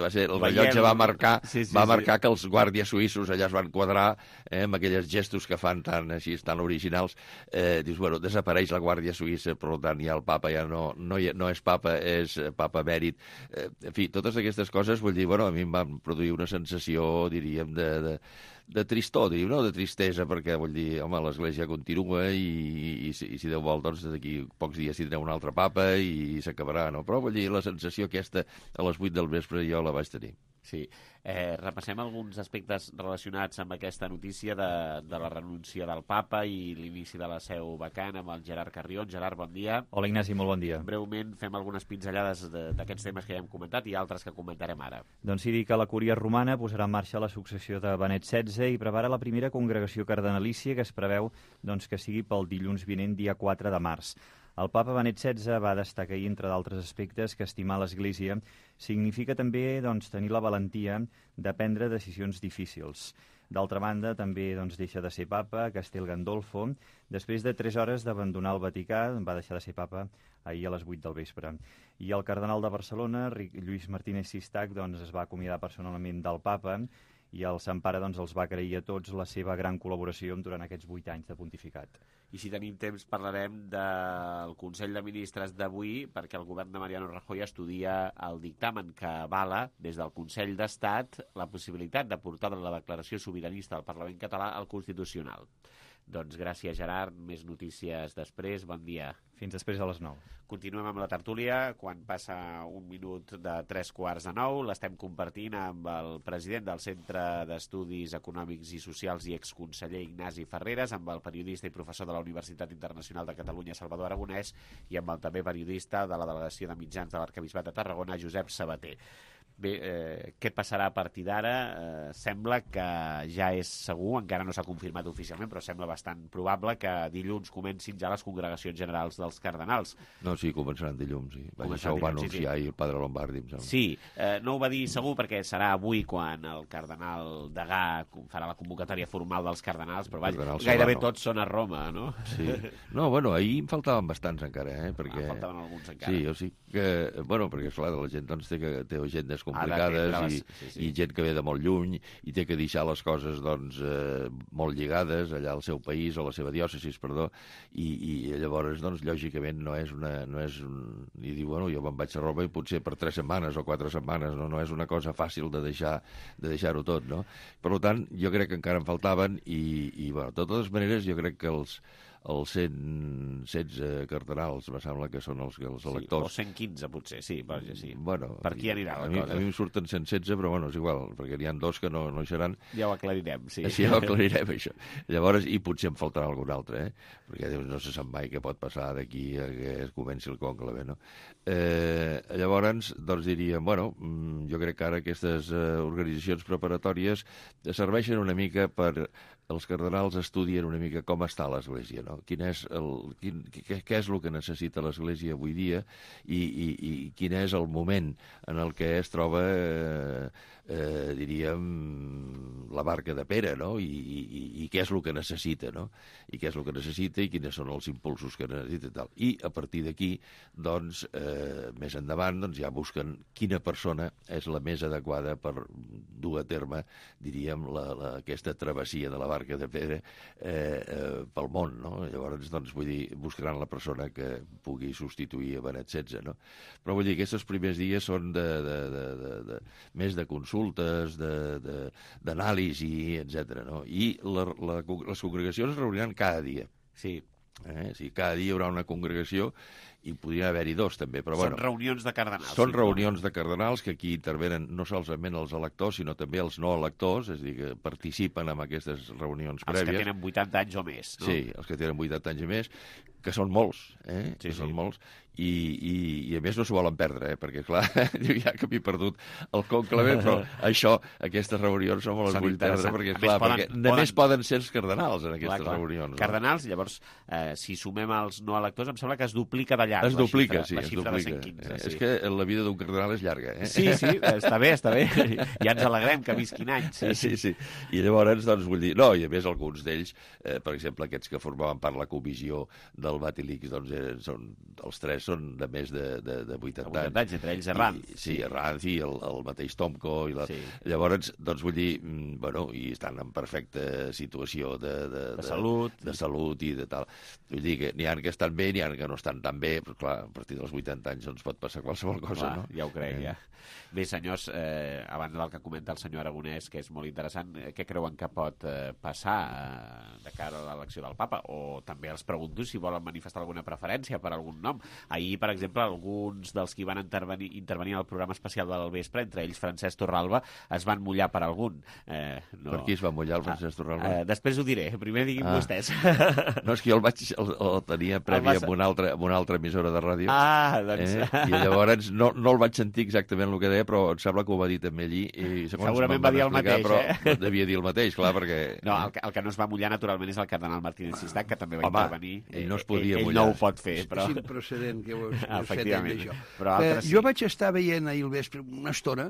va ser, el rellotge va marcar, sí, sí, va marcar sí. que els guàrdies suïssos allà es van quadrar, eh, amb aquells gestos que fan tan, així, tan originals. Eh, dius, bueno, desapareix la Guàrdia Suïssa, per tant, ja el papa ja no, no, no és papa, és papa emèrit. Eh, en fi, totes aquestes coses, vull dir, bueno, a mi em van produir una sensació, diríem, de... de de tristor, diríem, no de tristesa, perquè, vull dir, home, l'Església continua i, i, i, si, i si Déu vol, doncs, d'aquí pocs dies tindrem un altre papa i, i s'acabarà, no? Però, vull dir, la sensació aquesta a les vuit del vespre jo la vaig tenir. Sí. Eh, repassem alguns aspectes relacionats amb aquesta notícia de, de la renúncia del papa i l'inici de la seu vacant amb el Gerard Carrion. Gerard, bon dia. Hola, Ignasi, molt bon dia. Breument fem algunes pinzellades d'aquests temes que ja hem comentat i altres que comentarem ara. Doncs sí, dir que la Cúria Romana posarà en marxa la successió de Benet setze i prepara la primera congregació cardenalícia que es preveu doncs, que sigui pel dilluns vinent, dia quatre de març. El papa Benet setze va destacar ahir, entre d'altres aspectes, que estimar l'Església significa també doncs, tenir la valentia de prendre decisions difícils. D'altra banda, també doncs, deixa de ser papa Castel Gandolfo. Després de tres hores d'abandonar el Vaticà, va deixar de ser papa ahir a les vuit del vespre. I el cardenal de Barcelona, Lluís Martínez Sistac, doncs, es va acomiadar personalment del papa i el Sant Pare doncs, els va agrair a tots la seva gran col·laboració durant aquests vuit anys de pontificat. I si tenim temps parlarem del Consell de Ministres d'avui, perquè el govern de Mariano Rajoy estudia el dictamen que avala des del Consell d'Estat la possibilitat de portar la declaració sobiranista del Parlament català al Constitucional. Doncs gràcies, Gerard. Més notícies després. Bon dia. Fins després a les nou. Continuem amb la tertúlia. Quan passa un minut de tres quarts de nou, l'estem compartint amb el president del Centre d'Estudis Econòmics i Socials i exconseller Ignasi Ferreres, amb el periodista i professor de la Universitat Internacional de Catalunya, Salvador Aragonès, i amb el també periodista de la Delegació de Mitjans de l'Arquebisbat de Tarragona, Josep Sabater. Bé, eh, què passarà a partir d'ara? Eh, sembla que ja és segur, encara no s'ha confirmat oficialment, però sembla bastant probable que dilluns comencin ja les congregacions generals dels cardenals. No, sí, començaran dilluns, sí. Començaran això dilluns, ho va anunciar sí, sí. i el padre Lombardi, em sembla. Sí, eh, no ho va dir segur perquè serà avui quan el cardenal Degà farà la convocatòria formal dels cardenals, però vaja, cardenal gairebé Serrano. Tots són a Roma, no? Sí. No, bueno, ahir em faltaven bastants encara, eh? Perquè... Ah, faltaven alguns encara. Sí, o sigui que, bueno, perquè, esclar, la gent doncs, té, que, té agendes complicades i, sí, sí. i gent que ve de molt lluny i té que deixar les coses doncs, eh, molt lligades allà al seu país o a la seva diòcesis, perdó, i, i llavors, doncs, lògicament no és una... No és un... I diu, bueno, jo me'n vaig a Roma i potser per tres setmanes o quatre setmanes, no, no és una cosa fàcil de deixar de deixar-ho tot, no? Per tant, jo crec que encara en faltaven i, i bueno, de totes maneres, jo crec que els els cent setze cardenals, me sembla que són els, els electors. Sí, o cent quinze, potser, sí. Perquè sí. Bueno, per qui anirà la a mi, cosa? A mi em surten cent setze, però bueno, és igual, perquè n'hi ha dos que no, no hi seran. Ja ho aclarirem, sí. Sí, ja ho aclarirem, això. Llavors, i potser em faltarà algun altre, eh? Perquè no se sap mai què pot passar d'aquí a que es comenci el conclave, no? Eh, llavors, doncs diríem, bueno, jo crec que ara aquestes eh, organitzacions preparatòries serveixen una mica per... Els cardenals estudien una mica com està l'Església, no? Quin és el, quin, què, què és el que necessita l'Església avui dia i, i, i quin és el moment en el que es troba, eh, eh, diríem, la barca de Pere, no? I, i, i què és el que necessita, no? I què és el que necessita i quins són els impulsos que necessita i tal. I a partir d'aquí, doncs, eh, més endavant, doncs ja busquen quina persona és la més adequada per dur a terme, diríem, la, la, aquesta travessia de la barca de Pere eh, eh, pel món, no? Llavors, doncs, vull dir, buscaran la persona que pugui substituir a Benet setze, no? Però vull dir, aquests primers dies són de, de, de, de, de, més de consultes, d'anàlisi, etcètera, no? I la, la, les congregacions es reuniran cada dia. Sí. Eh? O sigui, cada dia hi haurà una congregació i podrien haver-hi dos, també. Però, Són bueno, reunions de cardenals. Són sí, reunions de cardenals que aquí intervenen no solament els electors, sinó també els no electors, és a dir, que participen en aquestes reunions els prèvies. Els que tenen vuitanta anys o més, no? Sí, els que tenen vuitanta anys i més, que són molts, eh? Sí, que sí. són molts, i, i, i a més no s'ho volen perdre, eh? Perquè, clar, ja que m'he perdut el conclave, però això, aquestes reunions no me les Són vull perdre, interessants. perquè, A clar, més, poden- perquè poden- només poden ser els cardenals en aquestes Clar, clar. reunions. No? Cardenals, llavors, eh, si sumem els no electors, em sembla que es duplica de llarg Es la duplica, xifra, sí, la es xifra duplica. de cent quinze. Eh, Sí. És que la vida d'un cardenal és llarga, eh? Sí, sí, està bé, està bé. Ja ens alegrem que visquin anys. Sí, sí, sí. I llavors, doncs, vull dir... No, i a més, alguns d'ells, eh, per exemple, aquests que formaven part de la comissió del Vatilix, doncs, eh, són, els tres són de més de, de, de vuitanta, vuitanta anys, entre ells Herranz. I, sí, Herranz i el, el mateix Tomko. I la... Sí. Llavors, doncs, vull dir, mm, bueno, i estan en perfecta situació de, de, De salut. De salut i de tal. Vull dir que n'hi ha que estan bé, n'hi ha que no estan tan bé, però, clar, a partir dels vuitanta anys doncs pot passar qualsevol cosa, Clar, no? ja ho crec, Eh. ja. Bé, senyors, eh, a banda del que comenta el senyor Aragonès, que és molt interessant, eh, què creuen que pot eh, passar eh, de cara a l'elecció del papa? O també els pregunto si volen manifestar alguna preferència per algun nom. Ahir, per exemple, alguns dels qui van intervenir, intervenir al programa especial del vespre, entre ells Francesc Torralba, es van mullar per algun. Eh, no... Per qui es va mullar el Francesc Torralba? Eh, després ho diré, primer diguin Ah. vostès. No, és que jo el, vaig, el, el tenia previ El vas- amb, una altra, amb una altra emissora de ràdio. Ah, doncs- Eh? I llavors no, no el vaig sentir exactament el que deia, però em sembla que ho va dir també allí. I segons Segurament me'n va van dir el explicar, mateix, però eh? devia dir el mateix, clar, perquè... No, el que, el que no es va mullar, naturalment, és el cardenal Martínez Sistac, que també va Home, intervenir. ell no es podia ell, ell mullar. no ho pot fer, És però... improcedent que ho, que ho Efectivament. això. Però Eh, altres jo sí. vaig estar veient ahir al vespre una estona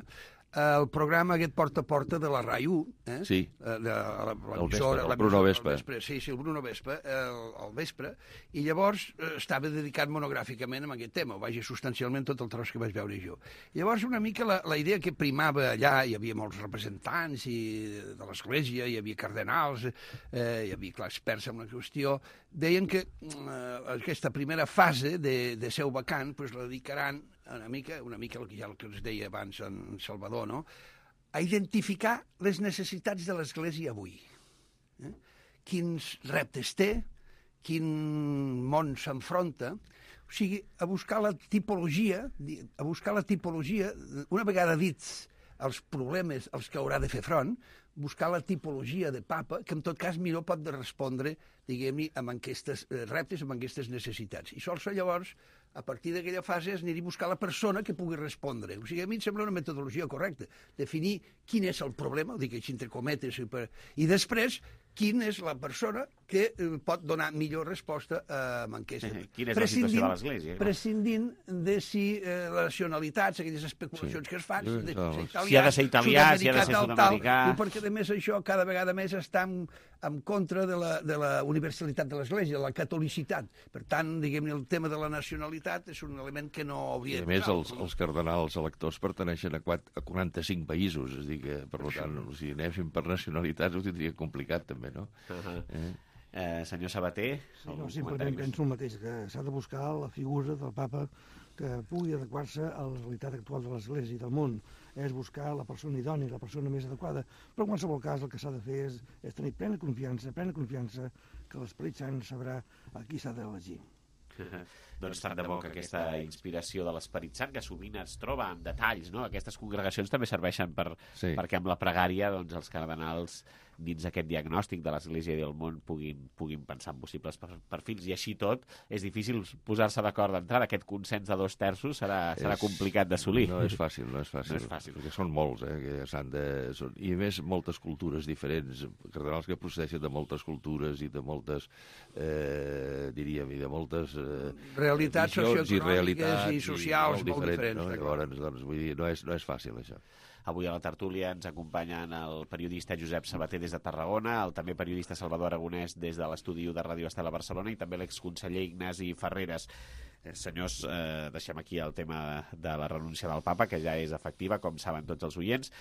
el programa aquest porta a porta de la R A I u, eh? Sí. Eh, de, la, la, El l'emissora- Vespa, el Bruno l'emissora- Vespa. el Sí, sí, el Bruno Vespa, el, el vespre, i llavors eh, estava dedicat monogràficament a aquest tema, o vaja, substancialment tot el tros que vaig veure jo. I llavors una mica la, la idea que primava allà, hi havia molts representants i, de l'Església, hi havia cardenals, eh, hi havia clar, experts en la qüestió, deien que eh, aquesta primera fase de, de seu vacant pues, la dedicaran una mica, una mica el que ja el que us deia abans en Salvador, no? A identificar les necessitats de l'Església avui. Eh? Quins reptes té, quin món s'enfronta, o sigui, a buscar la tipologia, a buscar la tipologia, una vegada dits els problemes als que haurà de fer front, buscar la tipologia de papa, que en tot cas millor pot respondre, diguem-ne, amb aquestes reptes, amb aquestes necessitats. I sols llavors, a partir d'aquella fase, es aniria a buscar la persona que pugui respondre. O sigui, a mi em sembla una metodologia correcta. Definir quin és el problema, ho dic així entre cometes, i, per... i després quina és la persona que eh, pot donar millor resposta a eh, aquesta. Quina és la situació de l'Església? No? Prescindint de si eh, les nacionalitats, aquelles especulacions sí. que es fan, Sí, de no. ser italià, Si ha de ser italià, si ha de ser tal, sud-americà. Tal, perquè a més això cada vegada més està en, en contra de la, de la universalitat de l'Església, de la catolicitat. Per tant, diguem-ne, el tema de la nacionalitat és un element que no hauria I a de més, posar. els, els cardenals electors perteneixen a, quatre, a quaranta-cinc països, és a dir que, per tant, si anéssim per nacionalitats ho tindria complicat, també, no? Uh -huh. eh? Eh, senyor Sabater, Sí, no, algun simplement comentari més? penso el mateix, que s'ha de buscar la figura del papa que pugui adequar-se a la realitat actual de l'Església i del món. És buscar la persona idònia, la persona més adequada. Però en qualsevol cas el que s'ha de fer és, és tenir plena confiança, plena confiança que l'Esperit Sant sabrà a qui s'ha d'elegir. Doncs tant de bo que aquesta inspiració de l'Esperit Sant, que sovint es troba en detalls, no? Aquestes congregacions també serveixen per, Sí. perquè amb la pregària doncs, els cardenals dins aquest diagnòstic de l'Església i del món puguin, puguin pensar en possibles per- perfils, i així tot és difícil posar-se d'acord d'entrada. Aquest consens de dos terços serà, serà És- complicat d'assolir. No és fàcil, no és fàcil. No és fàcil. Perquè són molts, eh, que s'han de... Són... I a més, moltes cultures diferents, cardenals que procedeixen de moltes cultures i de moltes, eh, diríem, i de moltes... Eh, Realitats visions socioeconòmiques realitats i socials molt diferents, No? està clar. Llavors, doncs, vull dir, no és, no és fàcil, això. Avui a la tertúlia ens acompanyen el periodista Josep Sabater des de Tarragona, el també periodista Salvador Aragonès des de l'estudi de Ràdio Estel a Barcelona i també l'exconseller Ignasi Ferreres. Eh, senyors, eh, deixem aquí el tema de la renúncia del papa, que ja és efectiva, com saben tots els oients.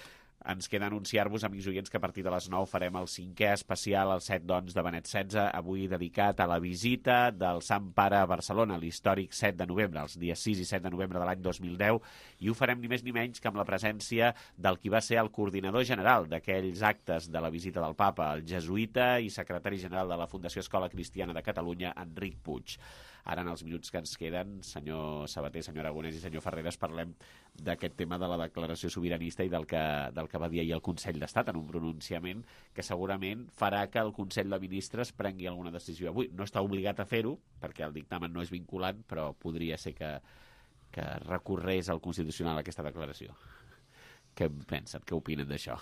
ens queda anunciar-vos, amics oients, que a partir de les nou farem el cinquè especial, el set doncs, de Benet setze, avui dedicat a la visita del Sant Pare a Barcelona, l'històric set de novembre, els dies sis i set de novembre de l'any dos mil deu, i ho farem ni més ni menys que amb la presència del qui va ser el coordinador general d'aquells actes de la visita del Papa, el jesuïta i secretari general de la Fundació Escola Cristiana de Catalunya, Enric Puig. Ara, en els minuts que ens queden, senyor Sabater, senyor Aragonès i senyor Ferreres, parlem d'aquest tema de la declaració sobiranista i del que, del que va dir ahir el Consell d'Estat en un pronunciament que segurament farà que el Consell de Ministres prengui alguna decisió avui. No està obligat a fer-ho, perquè el dictamen no és vinculant, però podria ser que, que recorrés al Constitucional aquesta declaració. Què pensen? Què opinen d'això?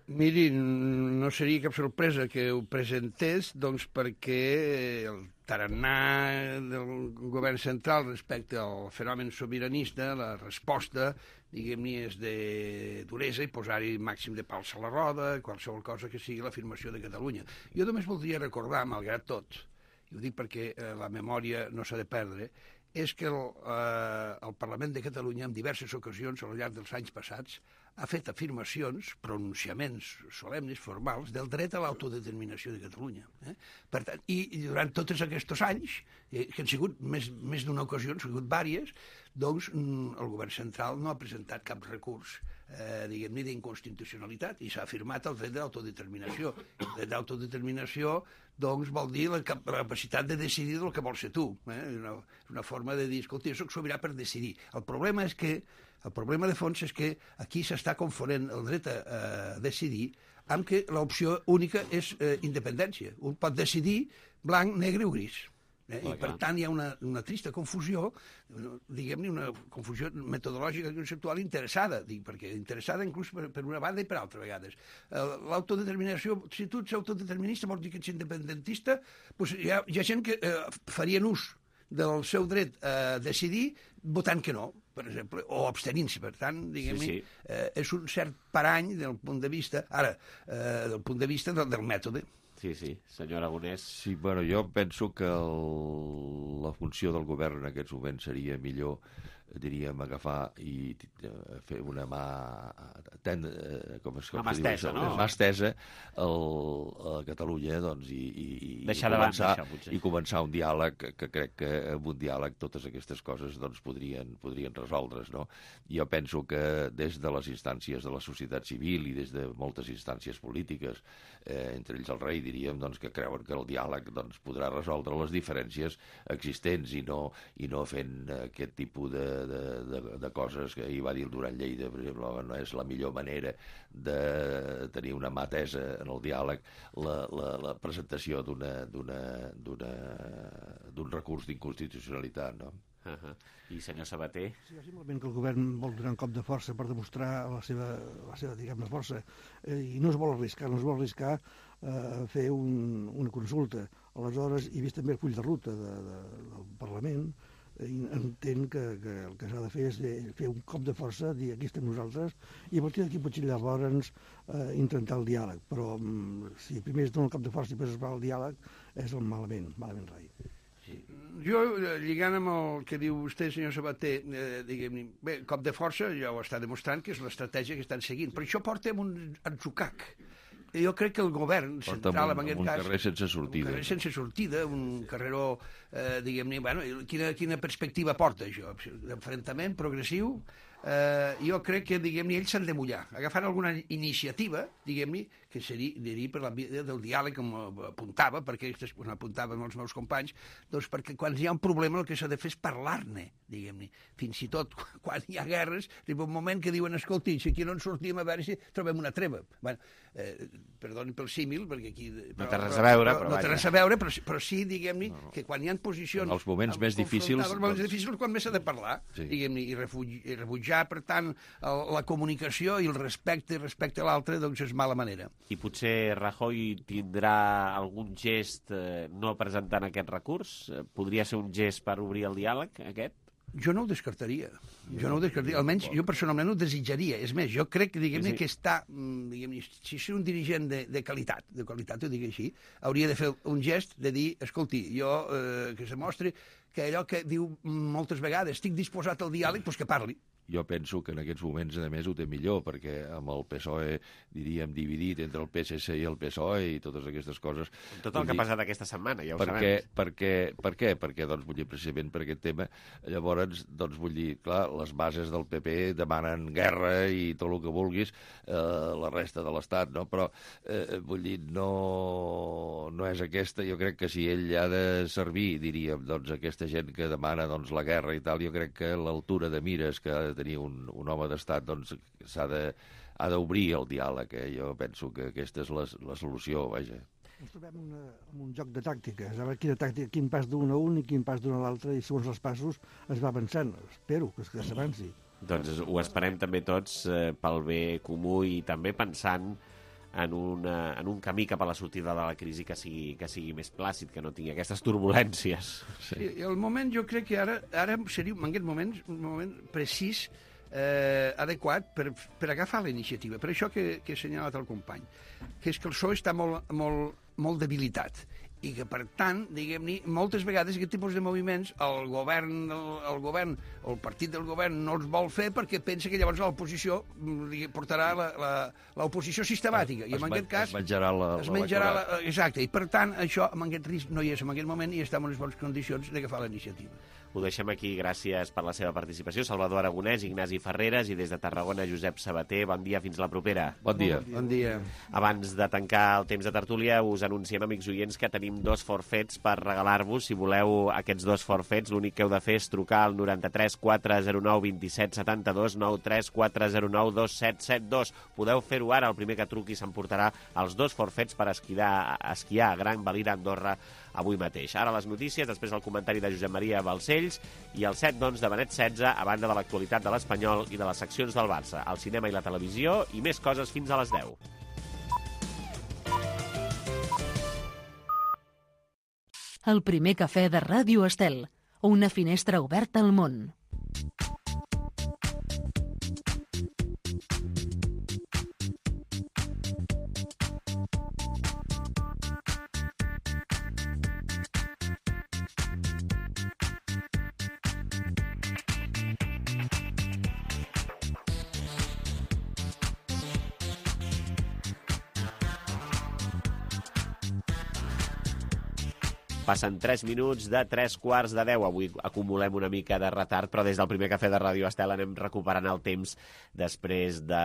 Miri, no seria cap sorpresa que ho presentés, doncs perquè el tarannà del govern central respecte al fenomen sobiranista, la resposta, diguem-ne, és de duresa i posar-hi màxim de pals a la roda, qualsevol cosa que sigui l'afirmació de Catalunya. Jo només voldria recordar, malgrat tot, i ho dic perquè eh, la memòria no s'ha de perdre, és que el, eh, el Parlament de Catalunya en diverses ocasions al llarg dels anys passats ha fet afirmacions, pronunciaments solemnes, formals, del dret a l'autodeterminació de Catalunya. Eh? Per tant, i, i durant tots aquests anys, eh, que han sigut més, més d'una ocasió, han sigut diverses, doncs el govern central no ha presentat cap recurs eh, diguem-ne, d'inconstitucionalitat i s'ha afirmat el dret d'autodeterminació. El dret d'autodeterminació doncs vol dir la capacitat de decidir del que vols ser tu. Eh? Una, una forma de dir, escolta, jo soc sobirà per decidir. El problema és que el problema de fons és que aquí s'està confonent el dret a, a decidir amb que l'opció única és eh, independència. Un pot decidir blanc, negre o gris. Eh? I per tant hi ha una, una trista confusió, diguem-ne una confusió metodològica i conceptual interessada, dic, perquè interessada inclús per, per una banda i per altra vegades. L'autodeterminació, si tu ets autodeterminista vols dir que ets independentista, doncs hi ha, hi ha gent que eh, farien ús del seu dret a decidir votant que no, per exemple, o abstenint-se. Per tant, diguem-ne, sí, sí. eh, és un cert parany del punt de vista, ara, eh, del punt de vista del, del mètode. Sí, sí, senyor Aragonès. Sí, bueno, jo penso que el, la funció del govern en aquests moments seria millor, diríem, agafar i fer una mà tenda, com es una mà estesa, no? Mà estesa el, a Catalunya, doncs, i, i, deixar i, començar, això, potser. i començar un diàleg, que, que crec que amb un diàleg totes aquestes coses doncs, podrien, podrien resoldre's, no? Jo penso que des de les instàncies de la societat civil i des de moltes instàncies polítiques, eh, entre ells el rei, diríem, doncs, que creuen que el diàleg doncs, podrà resoldre les diferències existents i no, i no fent aquest tipus de De, de, de coses que ahir va dir el Duran Lleida, per exemple, no és la millor manera de tenir una mà tesa en el diàleg la, la, la presentació d'una d'un recurs d'inconstitucionalitat, no? Uh -huh. I senyor Sabater? Sí, simplement que el govern vol donar un cop de força per demostrar la seva, la seva diguem-ne, força, eh, i no es vol arriscar, no es vol arriscar a eh, fer un, una consulta. Aleshores, i vist també el full de ruta de, de, del Parlament, entén que, que el que s'ha de fer és de fer un cop de força, dir aquí estem nosaltres, i a partir d'aquí potser llavors eh, intentar el diàleg. Però mm, si primer es dona el cop de força i després es va al diàleg, és el malament, malament rai. Sí. Jo, lligant amb el que diu vostè, senyor Sabater, eh, diguem-ne, bé, cop de força ja ho està demostrant que és l'estratègia que estan seguint, però això porta amb un atzucac. Jo crec que el govern central, en aquest cas... un carrer sense sortida. Un carrer sense sortida, un carreró, eh, diguem-ne... Bueno, quina, quina perspectiva porta, això? D'enfrontament progressiu? Eh, jo crec que, diguem-ne, ells s'han de mullar. Agafant alguna iniciativa, diguem-ne, que seria, diria, per la via del diàleg, com apuntava, perquè bueno, apuntaven els meus companys, doncs perquè quan hi ha un problema el que s'ha de fer és parlar-ne, diguem-ne. Fins i tot quan hi ha guerres, arriba un moment que diuen, escolti, si aquí no ens sortim a veure si trobem una treva. Bueno, eh, perdoni pel símil, perquè aquí... Però, no té res a veure, però, però No té res a veure, però, però sí, diguem-ne, no, no. que quan hi ha posicions... En els moments més difícils... Els moments doncs... difícils quan més s'ha de parlar, sí. diguem-ne, i, refugi, i rebutjar, per tant, el, la comunicació i el respecte respecte a l'altre, doncs és mala manera. I potser Rajoy tindrà algun gest eh, no presentant aquest recurs? Podria ser un gest per obrir el diàleg, aquest? Jo no ho descartaria. Jo no ho descartaria. Almenys jo personalment ho desitjaria. És més, jo crec que, diguem-ne, sí, sí. que està... Diguem-ne, si és un dirigent de, de qualitat, de qualitat, ho dic així, hauria de fer un gest de dir, escolti, jo, eh, que se mostri que allò que diu moltes vegades, estic disposat al diàleg, doncs que parli. jo penso que en aquests moments, a més, ho té millor, perquè amb el P S O E, diríem, dividit entre el P S C i el P S O E i totes aquestes coses... Tot el que ha passat aquesta setmana, ja ho perquè, sabem. Per què? Per què? Perquè, doncs, vull dir, precisament per aquest tema, llavors, doncs, vull dir, clar, les bases del P P demanen guerra i tot el que vulguis, eh, la resta de l'Estat, no? Però, eh, vull dir, no, no és aquesta. Jo crec que si ell ha de servir, diríem, doncs, aquesta gent que demana, doncs, la guerra i tal, jo crec que l'altura de mires que ha de tenir un, un home d'estat, doncs, s'ha de, ha d'obrir el diàleg, eh? Jo penso que aquesta és la, la solució, vaja. Ens trobem una, en un joc de tàctiques, a veure quina tàctica, quin pas d'un a un i quin pas d'un a l'altre, i segons els passos es va avançant. Espero que, que s'avanci. Doncs ho esperem també tots eh, pel bé comú i també pensant en, una, en un camí cap a la sortida de la crisi que sigui, que sigui més plàcid, que no tingui aquestes turbulències. Sí. I el moment, jo crec que ara, ara seria, en aquest moment, un moment precís, eh, adequat per, per agafar la iniciativa. Per això que, que he assenyalat el company, que és que el P S O E està molt, molt, molt debilitat i que, per tant, diguem-ne, moltes vegades aquest tipus de moviments el govern, el, el govern o el partit del govern no els vol fer perquè pensa que llavors l'oposició li portarà l'oposició sistemàtica. Es, I en aquest cas... Es menjarà la... Es menjarà la, exacte, i per tant, això, en aquest risc no hi és en aquest moment i està en unes bones condicions d'agafar la iniciativa. Ho deixem aquí, gràcies per la seva participació. Salvador Aragonès, Ignasi Ferreres i des de Tarragona, Josep Sabater. Bon dia, fins la propera. Bon dia. Bon dia. Abans de tancar el temps de tertúlia, us anunciem, amics oients, que tenim dos forfets per regalar-vos. Si voleu aquests dos forfets, l'únic que heu de fer és trucar al noranta-tres quatre zero nou vint set setanta-dos, noranta-tres quatre zero nou dos set set dos. Podeu fer-ho ara, el primer que truqui s'emportarà els dos forfets per esquiar, esquiar a Gran Valira, Andorra, avui mateix. Ara les notícies, després el comentari de Josep Maria Balcells i el set d'ons de Benet setze, a banda de l'actualitat de l'Espanyol i de les seccions del Barça, el cinema i la televisió i més coses fins a les deu. El primer cafè de Ràdio Estel, una finestra oberta al món. Passen tres minuts de tres quarts de deu. Avui acumulem una mica de retard, però des del primer cafè de Ràdio Estel anem recuperant el temps després de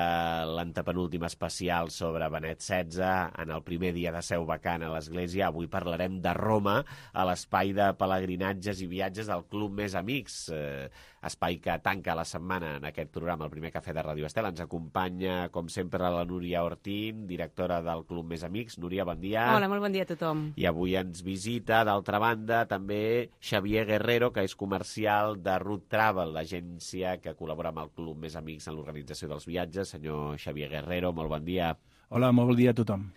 l'antepenúltim especial sobre Benet setze, en el primer dia de seu vacant a l'Església. Avui parlarem de Roma, a l'espai de pelegrinatges i viatges del Club Més Amics, eh, espai que tanca la setmana en aquest programa, el primer cafè de Ràdio Estel. Ens acompanya, com sempre, la Núria Ortín, directora del Club Més Amics. Núria, bon dia. Hola, molt bon dia a tothom. I avui ens visita, d'altra banda, també Xavier Guerrero, que és comercial de Route Travel, l'agència que col·labora amb el Club Més Amics en l'organització dels viatges. Senyor Xavier Guerrero, molt bon dia. Hola, molt bon dia a tothom.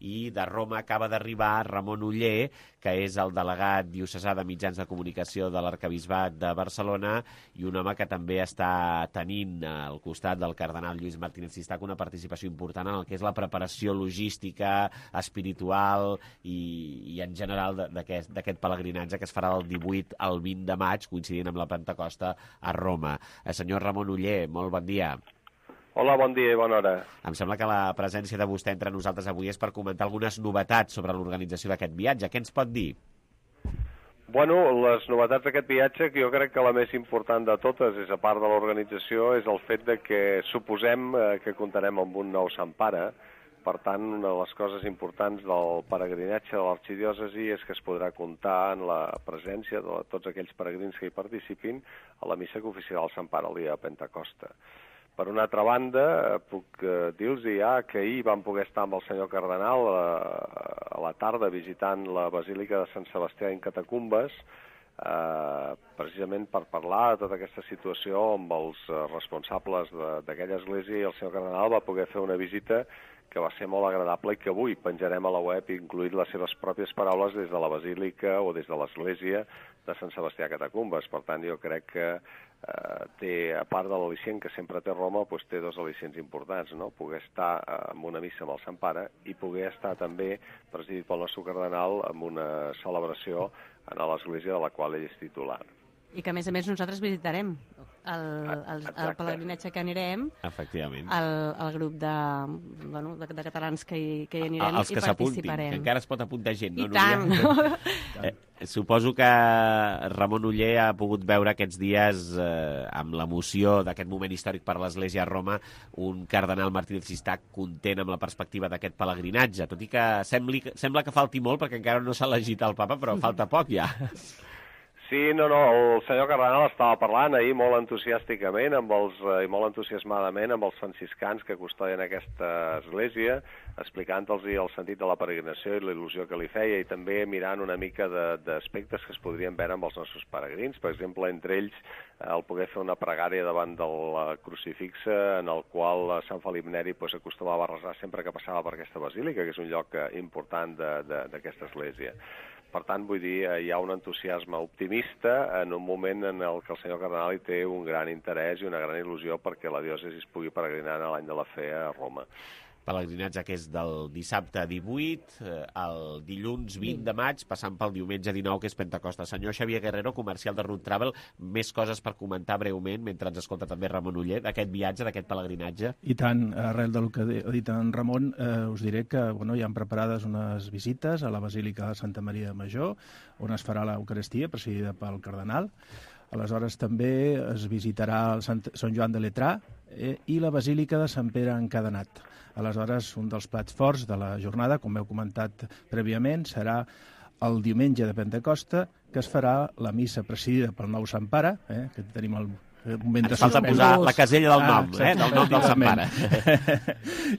I de Roma acaba d'arribar Ramon Oller, que és el delegat diocesà de mitjans de comunicació de l'Arquebisbat de Barcelona i un home que també està tenint al costat del cardenal Lluís Martínez Sistac una participació important en el que és la preparació logística, espiritual i, i en general d'aquest pelegrinatge que es farà del divuit al vint de maig, coincidint amb la Pentecosta a Roma. Eh, senyor Ramon Oller, molt bon dia. Hola, bon dia i bona hora. Em sembla que la presència de vostè entre nosaltres avui és per comentar algunes novetats sobre l'organització d'aquest viatge. Què ens pot dir? Bueno, les novetats d'aquest viatge, que jo crec que la més important de totes, és a part de l'organització, és el fet de que suposem que comptarem amb un nou Sant Pare. Per tant, una de les coses importants del peregrinatge de l'arxidiòcesi és que es podrà comptar en la presència de tots aquells peregrins que hi participin a la missa que oficiarà el Sant Pare el dia de Pentecosta. Per una altra banda, puc dir-los ja que ahir vam poder estar amb el senyor cardenal a la tarda visitant la Basílica de Sant Sebastià en Catacumbes, eh, precisament per parlar de tota aquesta situació amb els responsables d'aquella església, i el senyor cardenal va poder fer una visita que va ser molt agradable i que avui penjarem a la web, incluït les seves pròpies paraules des de la Basílica o des de l'església de Sant Sebastià a Catacumbes. Per tant, jo crec que eh, té, a part de l'al·licient que sempre té Roma, doncs té dos al·licients importants, no? Poder estar en una missa amb el Sant Pare i poder estar també, presidit pel nostre cardenal, en una celebració a l'església de la qual ell és titular. I que, a més a més, nosaltres visitarem el, el, el pelegrinatge que anirem, efectivament, el, el grup de, bueno, de, de catalans que hi, que hi anirem els que i participarem. Que encara es pot apuntar gent, no? I tant! Eh, suposo que Ramon Oller ha pogut veure aquests dies, eh, amb l'emoció d'aquest moment històric per l'Església a Roma, un cardenal Martínez Sistac content amb la perspectiva d'aquest pelegrinatge, tot i que sembli, sembla que falti molt, perquè encara no s'ha elegit el papa, però falta poc ja. Sí, no, no, el senyor Cardenal estava parlant ahir molt entusiàsticament amb els, i molt entusiasmadament amb els franciscans que custodien aquesta església, explicant-los el sentit de la peregrinació i la il·lusió que li feia, i també mirant una mica d'aspectes que es podrien veure amb els nostres peregrins. Per exemple, entre ells, el poder fer una pregària davant del crucifixe, en el qual Sant Felip Neri pues, acostumava a resar sempre que passava per aquesta basílica, que és un lloc important d'aquesta església. Per tant, vull dir, hi ha un entusiasme optimista en un moment en el que el senyor Cardenal hi té un gran interès i una gran il·lusió perquè la diòcesi es pugui peregrinar a l'any de la fe a Roma. Pelegrinatge que és del dissabte divuit al dilluns vint de maig, passant pel diumenge dinou, que és Pentecosta. Senyor Xavier Guerrero, comercial de Route Travel, més coses per comentar breument, mentre ens escolta també Ramon Oller, d'aquest viatge, d'aquest pelegrinatge? I tant, arrel del que ha dit en Ramon, eh, us diré que bueno, hi han preparades unes visites a la Basílica de Santa Maria de Major, on es farà l'Eucaristia, presidida pel cardenal. Aleshores també es visitarà el Sant, Sant Joan de Letrà eh, i la Basílica de Sant Pere Encadenat. Aleshores, un dels plats forts de la jornada, com heu comentat prèviament, serà el diumenge de Pentecosta, que es farà la missa presidida pel nou Sant Pare, eh, que tenim el moment de... Ens falta posar la casella del nom, ah, eh, del nom del Sant Pare.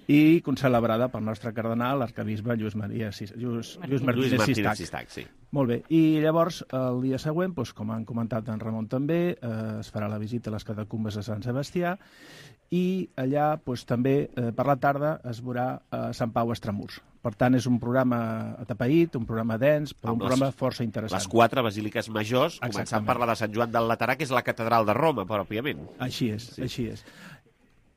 I concelebrada pel nostre cardenal, l'arcabisbe Lluís Maria Sis... Lluís, Lluís Martínez, Lluís Martínez Sistac. Sistac sí. Molt bé. I llavors, el dia següent, doncs, com han comentat en Ramon també, eh, es farà la visita a les catacumbes de Sant Sebastià i allà doncs, també eh, per la tarda es veurà a Sant Pau Extramurs. Per tant, és un programa atapeït, un programa dens, però un programa força interessant. Les quatre basíliques majors, començant per la de Sant Joan del Laterà, que és la catedral de Roma, pròpiament. Així és, sí. així és.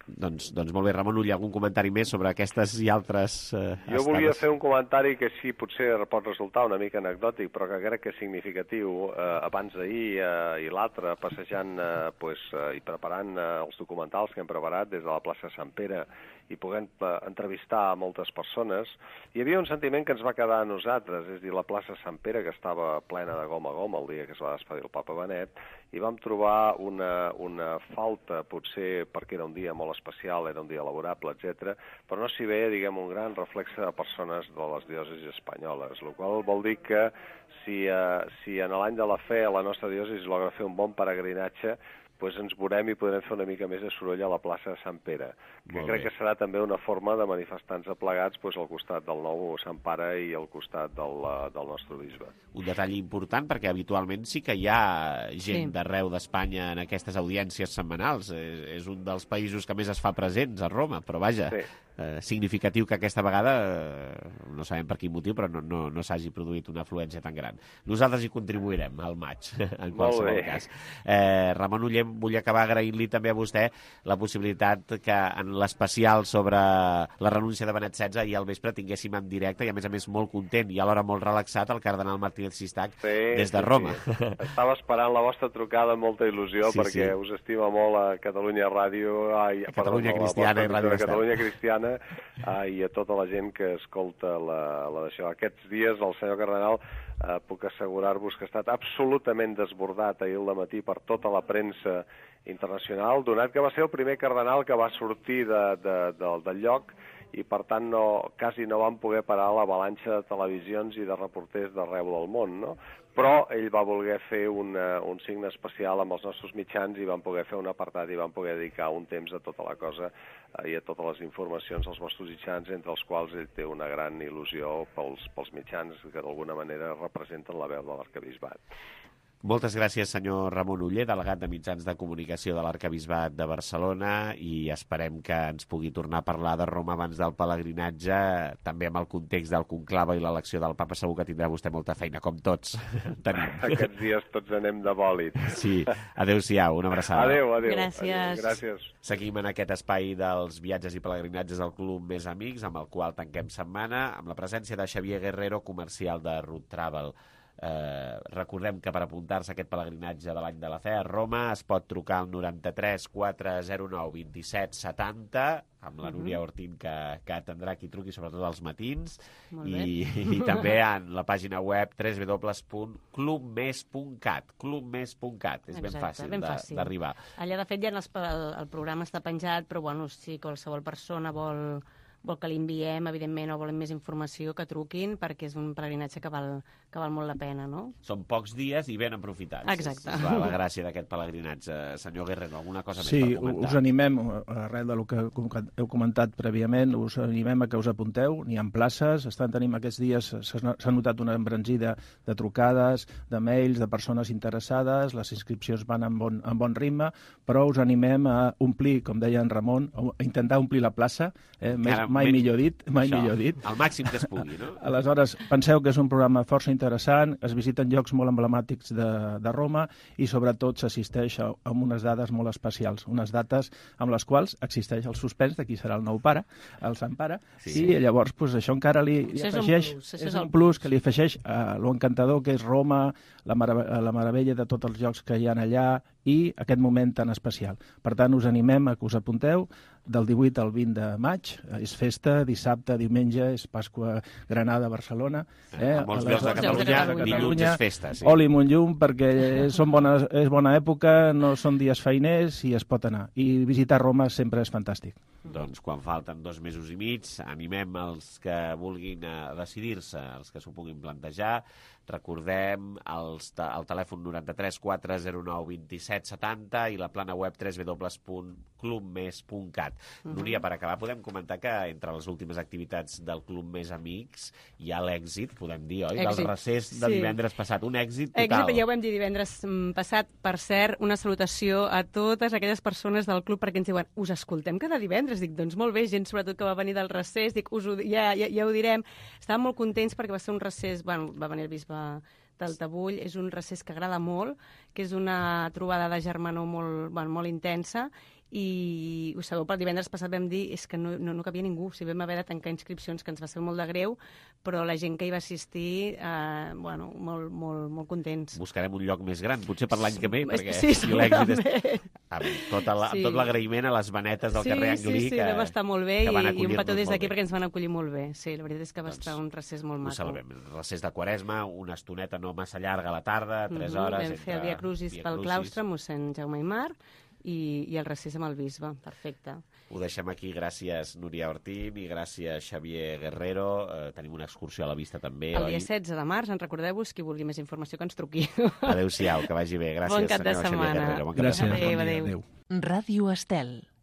Doncs, doncs molt bé, Ramon Ull, algun comentari més sobre aquestes i altres eh, Jo estades? volia fer un comentari que sí, potser pot resultar una mica anecdòtic, però que crec que és significatiu. Eh, abans d'ahir eh, i l'altre, passejant eh, pues, eh, i preparant eh, els documentals que hem preparat des de la plaça Sant Pere i podent eh, entrevistar a moltes persones, hi havia un sentiment que ens va quedar a nosaltres, és a dir, la plaça Sant Pere, que estava plena de gom a gom el dia que es va despedir el papa Benet, i vam trobar una, una falta, potser perquè era un dia molt especial, era un dia laborable, etcètera, però no s'hi veia, diguem, un gran reflexe de persones de les diòcesis espanyoles, el qual vol dir que si, eh, si en l'any de la fe la nostra diòcesi logra fer un bon peregrinatge, pues ens veurem i podrem fer una mica més de soroll a la plaça de Sant Pere, que Molt crec bé. que serà també una forma de manifestar-nos aplegats pues, al costat del nou Sant Pare i al costat del, del nostre bisbe. Un detall important, perquè habitualment sí que hi ha gent Sí. d'arreu d'Espanya en aquestes audiències setmanals. És, és un dels països que més es fa presents a Roma, però vaja, Sí. eh, significatiu que aquesta vegada, eh, no sabem per quin motiu, però no, no, no s'hagi produït una afluència tan gran. Nosaltres hi contribuirem al maig, en qualsevol bé. cas. Eh, Ramon Uller, vull acabar agraint-li també a vostè la possibilitat que en l'especial sobre la renúncia de Benet setze ahir al vespre tinguéssim en directe i, a més a més, molt content i alhora molt relaxat el cardenal Martínez Sistac Sí, des de sí, Roma. Sí. Estava esperant la vostra trucada amb molta il·lusió Sí, perquè sí. us estima molt a Catalunya Ràdio, ai, A Catalunya perdó, Cristiana a i la Ràdio vostra Estel. Catalunya Cristiana ai, i a tota la gent que escolta la, la d'això. Aquests dies el senyor cardenal eh, puc assegurar-vos que ha estat absolutament desbordat ahir al matí per tota la premsa internacional, donat que va ser el primer cardenal que va sortir de, de, de, del lloc i per tant no, quasi no van poder parar l'avalanxa de televisions i de reporters d'arreu del món, no? Però ell va voler fer una, un signe especial amb els nostres mitjans i van poder fer un apartat i van poder dedicar un temps a tota la cosa eh, i a totes les informacions als nostres mitjans, entre els quals ell té una gran il·lusió pels, pels mitjans que d'alguna manera representen la veu de l'arcabisbat. Moltes gràcies, senyor Ramon Uller, delegat de Mitjans de Comunicació de l'Arcabisbat de Barcelona, i esperem que ens pugui tornar a parlar de Roma abans del pelegrinatge, també amb el context del conclave i l'elecció del papa. Segur que tindrà vostè molta feina, com tots tenim. Aquests dies tots anem de bòlit. Sí, adéu-siau, una abraçada. Adéu, adéu. Gràcies. Adéu, gràcies. Seguim en aquest espai dels viatges i pelegrinatges del Club Més Amics, amb el qual tanquem setmana, amb la presència de Xavier Guerrero, comercial de Route Travel. Eh, recordem que per apuntar-se a aquest pelegrinatge de l'any de la fe a Roma es pot trucar al noranta-tres quatre zero nou vint-i-set setanta amb la Núria Ortín, que, que atendrà qui truqui, sobretot als matins, i, i també en la pàgina web w w w punt club mes punt cat. club mes punt cat. És ben fàcil d'arribar. Allà, de fet, ja el, el programa està penjat, però bueno, si qualsevol persona vol... vol que li enviem, evidentment, o volen més informació, que truquin, perquè és un pelegrinatge que val, que val molt la pena, no? Són pocs dies i ben aprofitats. Exacte. És, és la, la gràcia d'aquest pelegrinatge. Senyor Guerrero, alguna cosa sí, més per comentar? Sí, us animem, arrel del que heu comentat prèviament, us animem a que us apunteu, n'hi ha places, estan tenim aquests dies, s'ha notat una embranzida de trucades, de mails, de persones interessades, les inscripcions van en bon, en bon ritme, però us animem a omplir, com deia en Ramon, a intentar omplir la plaça, eh, més, Ara, mai menys, millor dit, mai això, millor dit. Al màxim que es pugui, no? Aleshores, penseu que és un programa força interessant, es visiten llocs molt emblemàtics de, de Roma i sobretot s'assisteix a, a unes dades molt especials, unes dates amb les quals existeix el suspens de qui serà el nou pare, el sant pare, sí. I llavors pues, això encara li, li això afegeix, és un plus, és, és un plus que li afegeix a lo encantador que és Roma, la, marav la meravella de tots els llocs que hi ha allà i aquest moment tan especial. Per tant, us animem a que us apunteu del divuit al vint de maig, és festa, dissabte, diumenge, és Pasqua Granada, Barcelona. Eh? A molts llocs de Catalunya, dilluns és festa. Sí. Oli Montllum, perquè són bona, és bona època, no són dies feiners i es pot anar. I visitar Roma sempre és fantàstic. Doncs quan falten dos mesos i mig, animem els que vulguin decidir-se, els que s'ho puguin plantejar. Recordem els, el telèfon noranta-tres quatre zero nou vint-i-set setanta i la plana web w w w punt club mes punt cat. Uh -huh. Núria, per acabar, podem comentar que entre les últimes activitats del Club Més Amics hi ha l'èxit, podem dir, oi? Èxit. Del recés de sí. divendres passat. Un èxit total. Èxit, ja ho vam dir divendres passat. Per cert, una salutació a totes aquelles persones del club perquè ens diuen, us escoltem cada divendres. Dic, doncs molt bé, gent sobretot que va venir del recés. Dic, us ho, ja, ja, ja ho direm. Estàvem molt contents perquè va ser un recés, bueno, va venir el bisbe del Tabull, és un recés que agrada molt, que és una trobada de germanor molt, bueno, molt intensa, i ho sabeu, per divendres passat vam dir és que no, no, no cabia ningú, si vam haver de tancar inscripcions, que ens va ser molt de greu, però la gent que hi va assistir, eh, bueno, molt, molt, molt contents. Buscarem un lloc més gran, potser per l'any que ve, perquè sí, si l'èxit és... Amb tot sí. l'agraïment a les venetes del sí, carrer Anglí, sí, sí, que, va estar molt bé, i, i un petó des d'aquí perquè ens van acollir molt bé. Sí, la veritat és que va doncs, estar un recés molt maco. Ho salvem. Recés de Quaresma, una estoneta no massa llarga a la tarda, tres hores... Vam fer el Via Crucis pel claustre, mossèn Jaume Aymar, i, i el recés amb el bisbe. Perfecte. Ho deixem aquí. Gràcies, Núria Ortín, i gràcies, Xavier Guerrero. Eh, tenim una excursió a la vista, també, el oi? dia setze de març, en recordeu-vos, qui vulgui més informació que ens truqui. Adéu-siau, que vagi bé. Gràcies, bon cap de setmana. Xavier Guerrero. Bon cap gràcies. de setmana. Adéu, adéu. Ràdio Estel.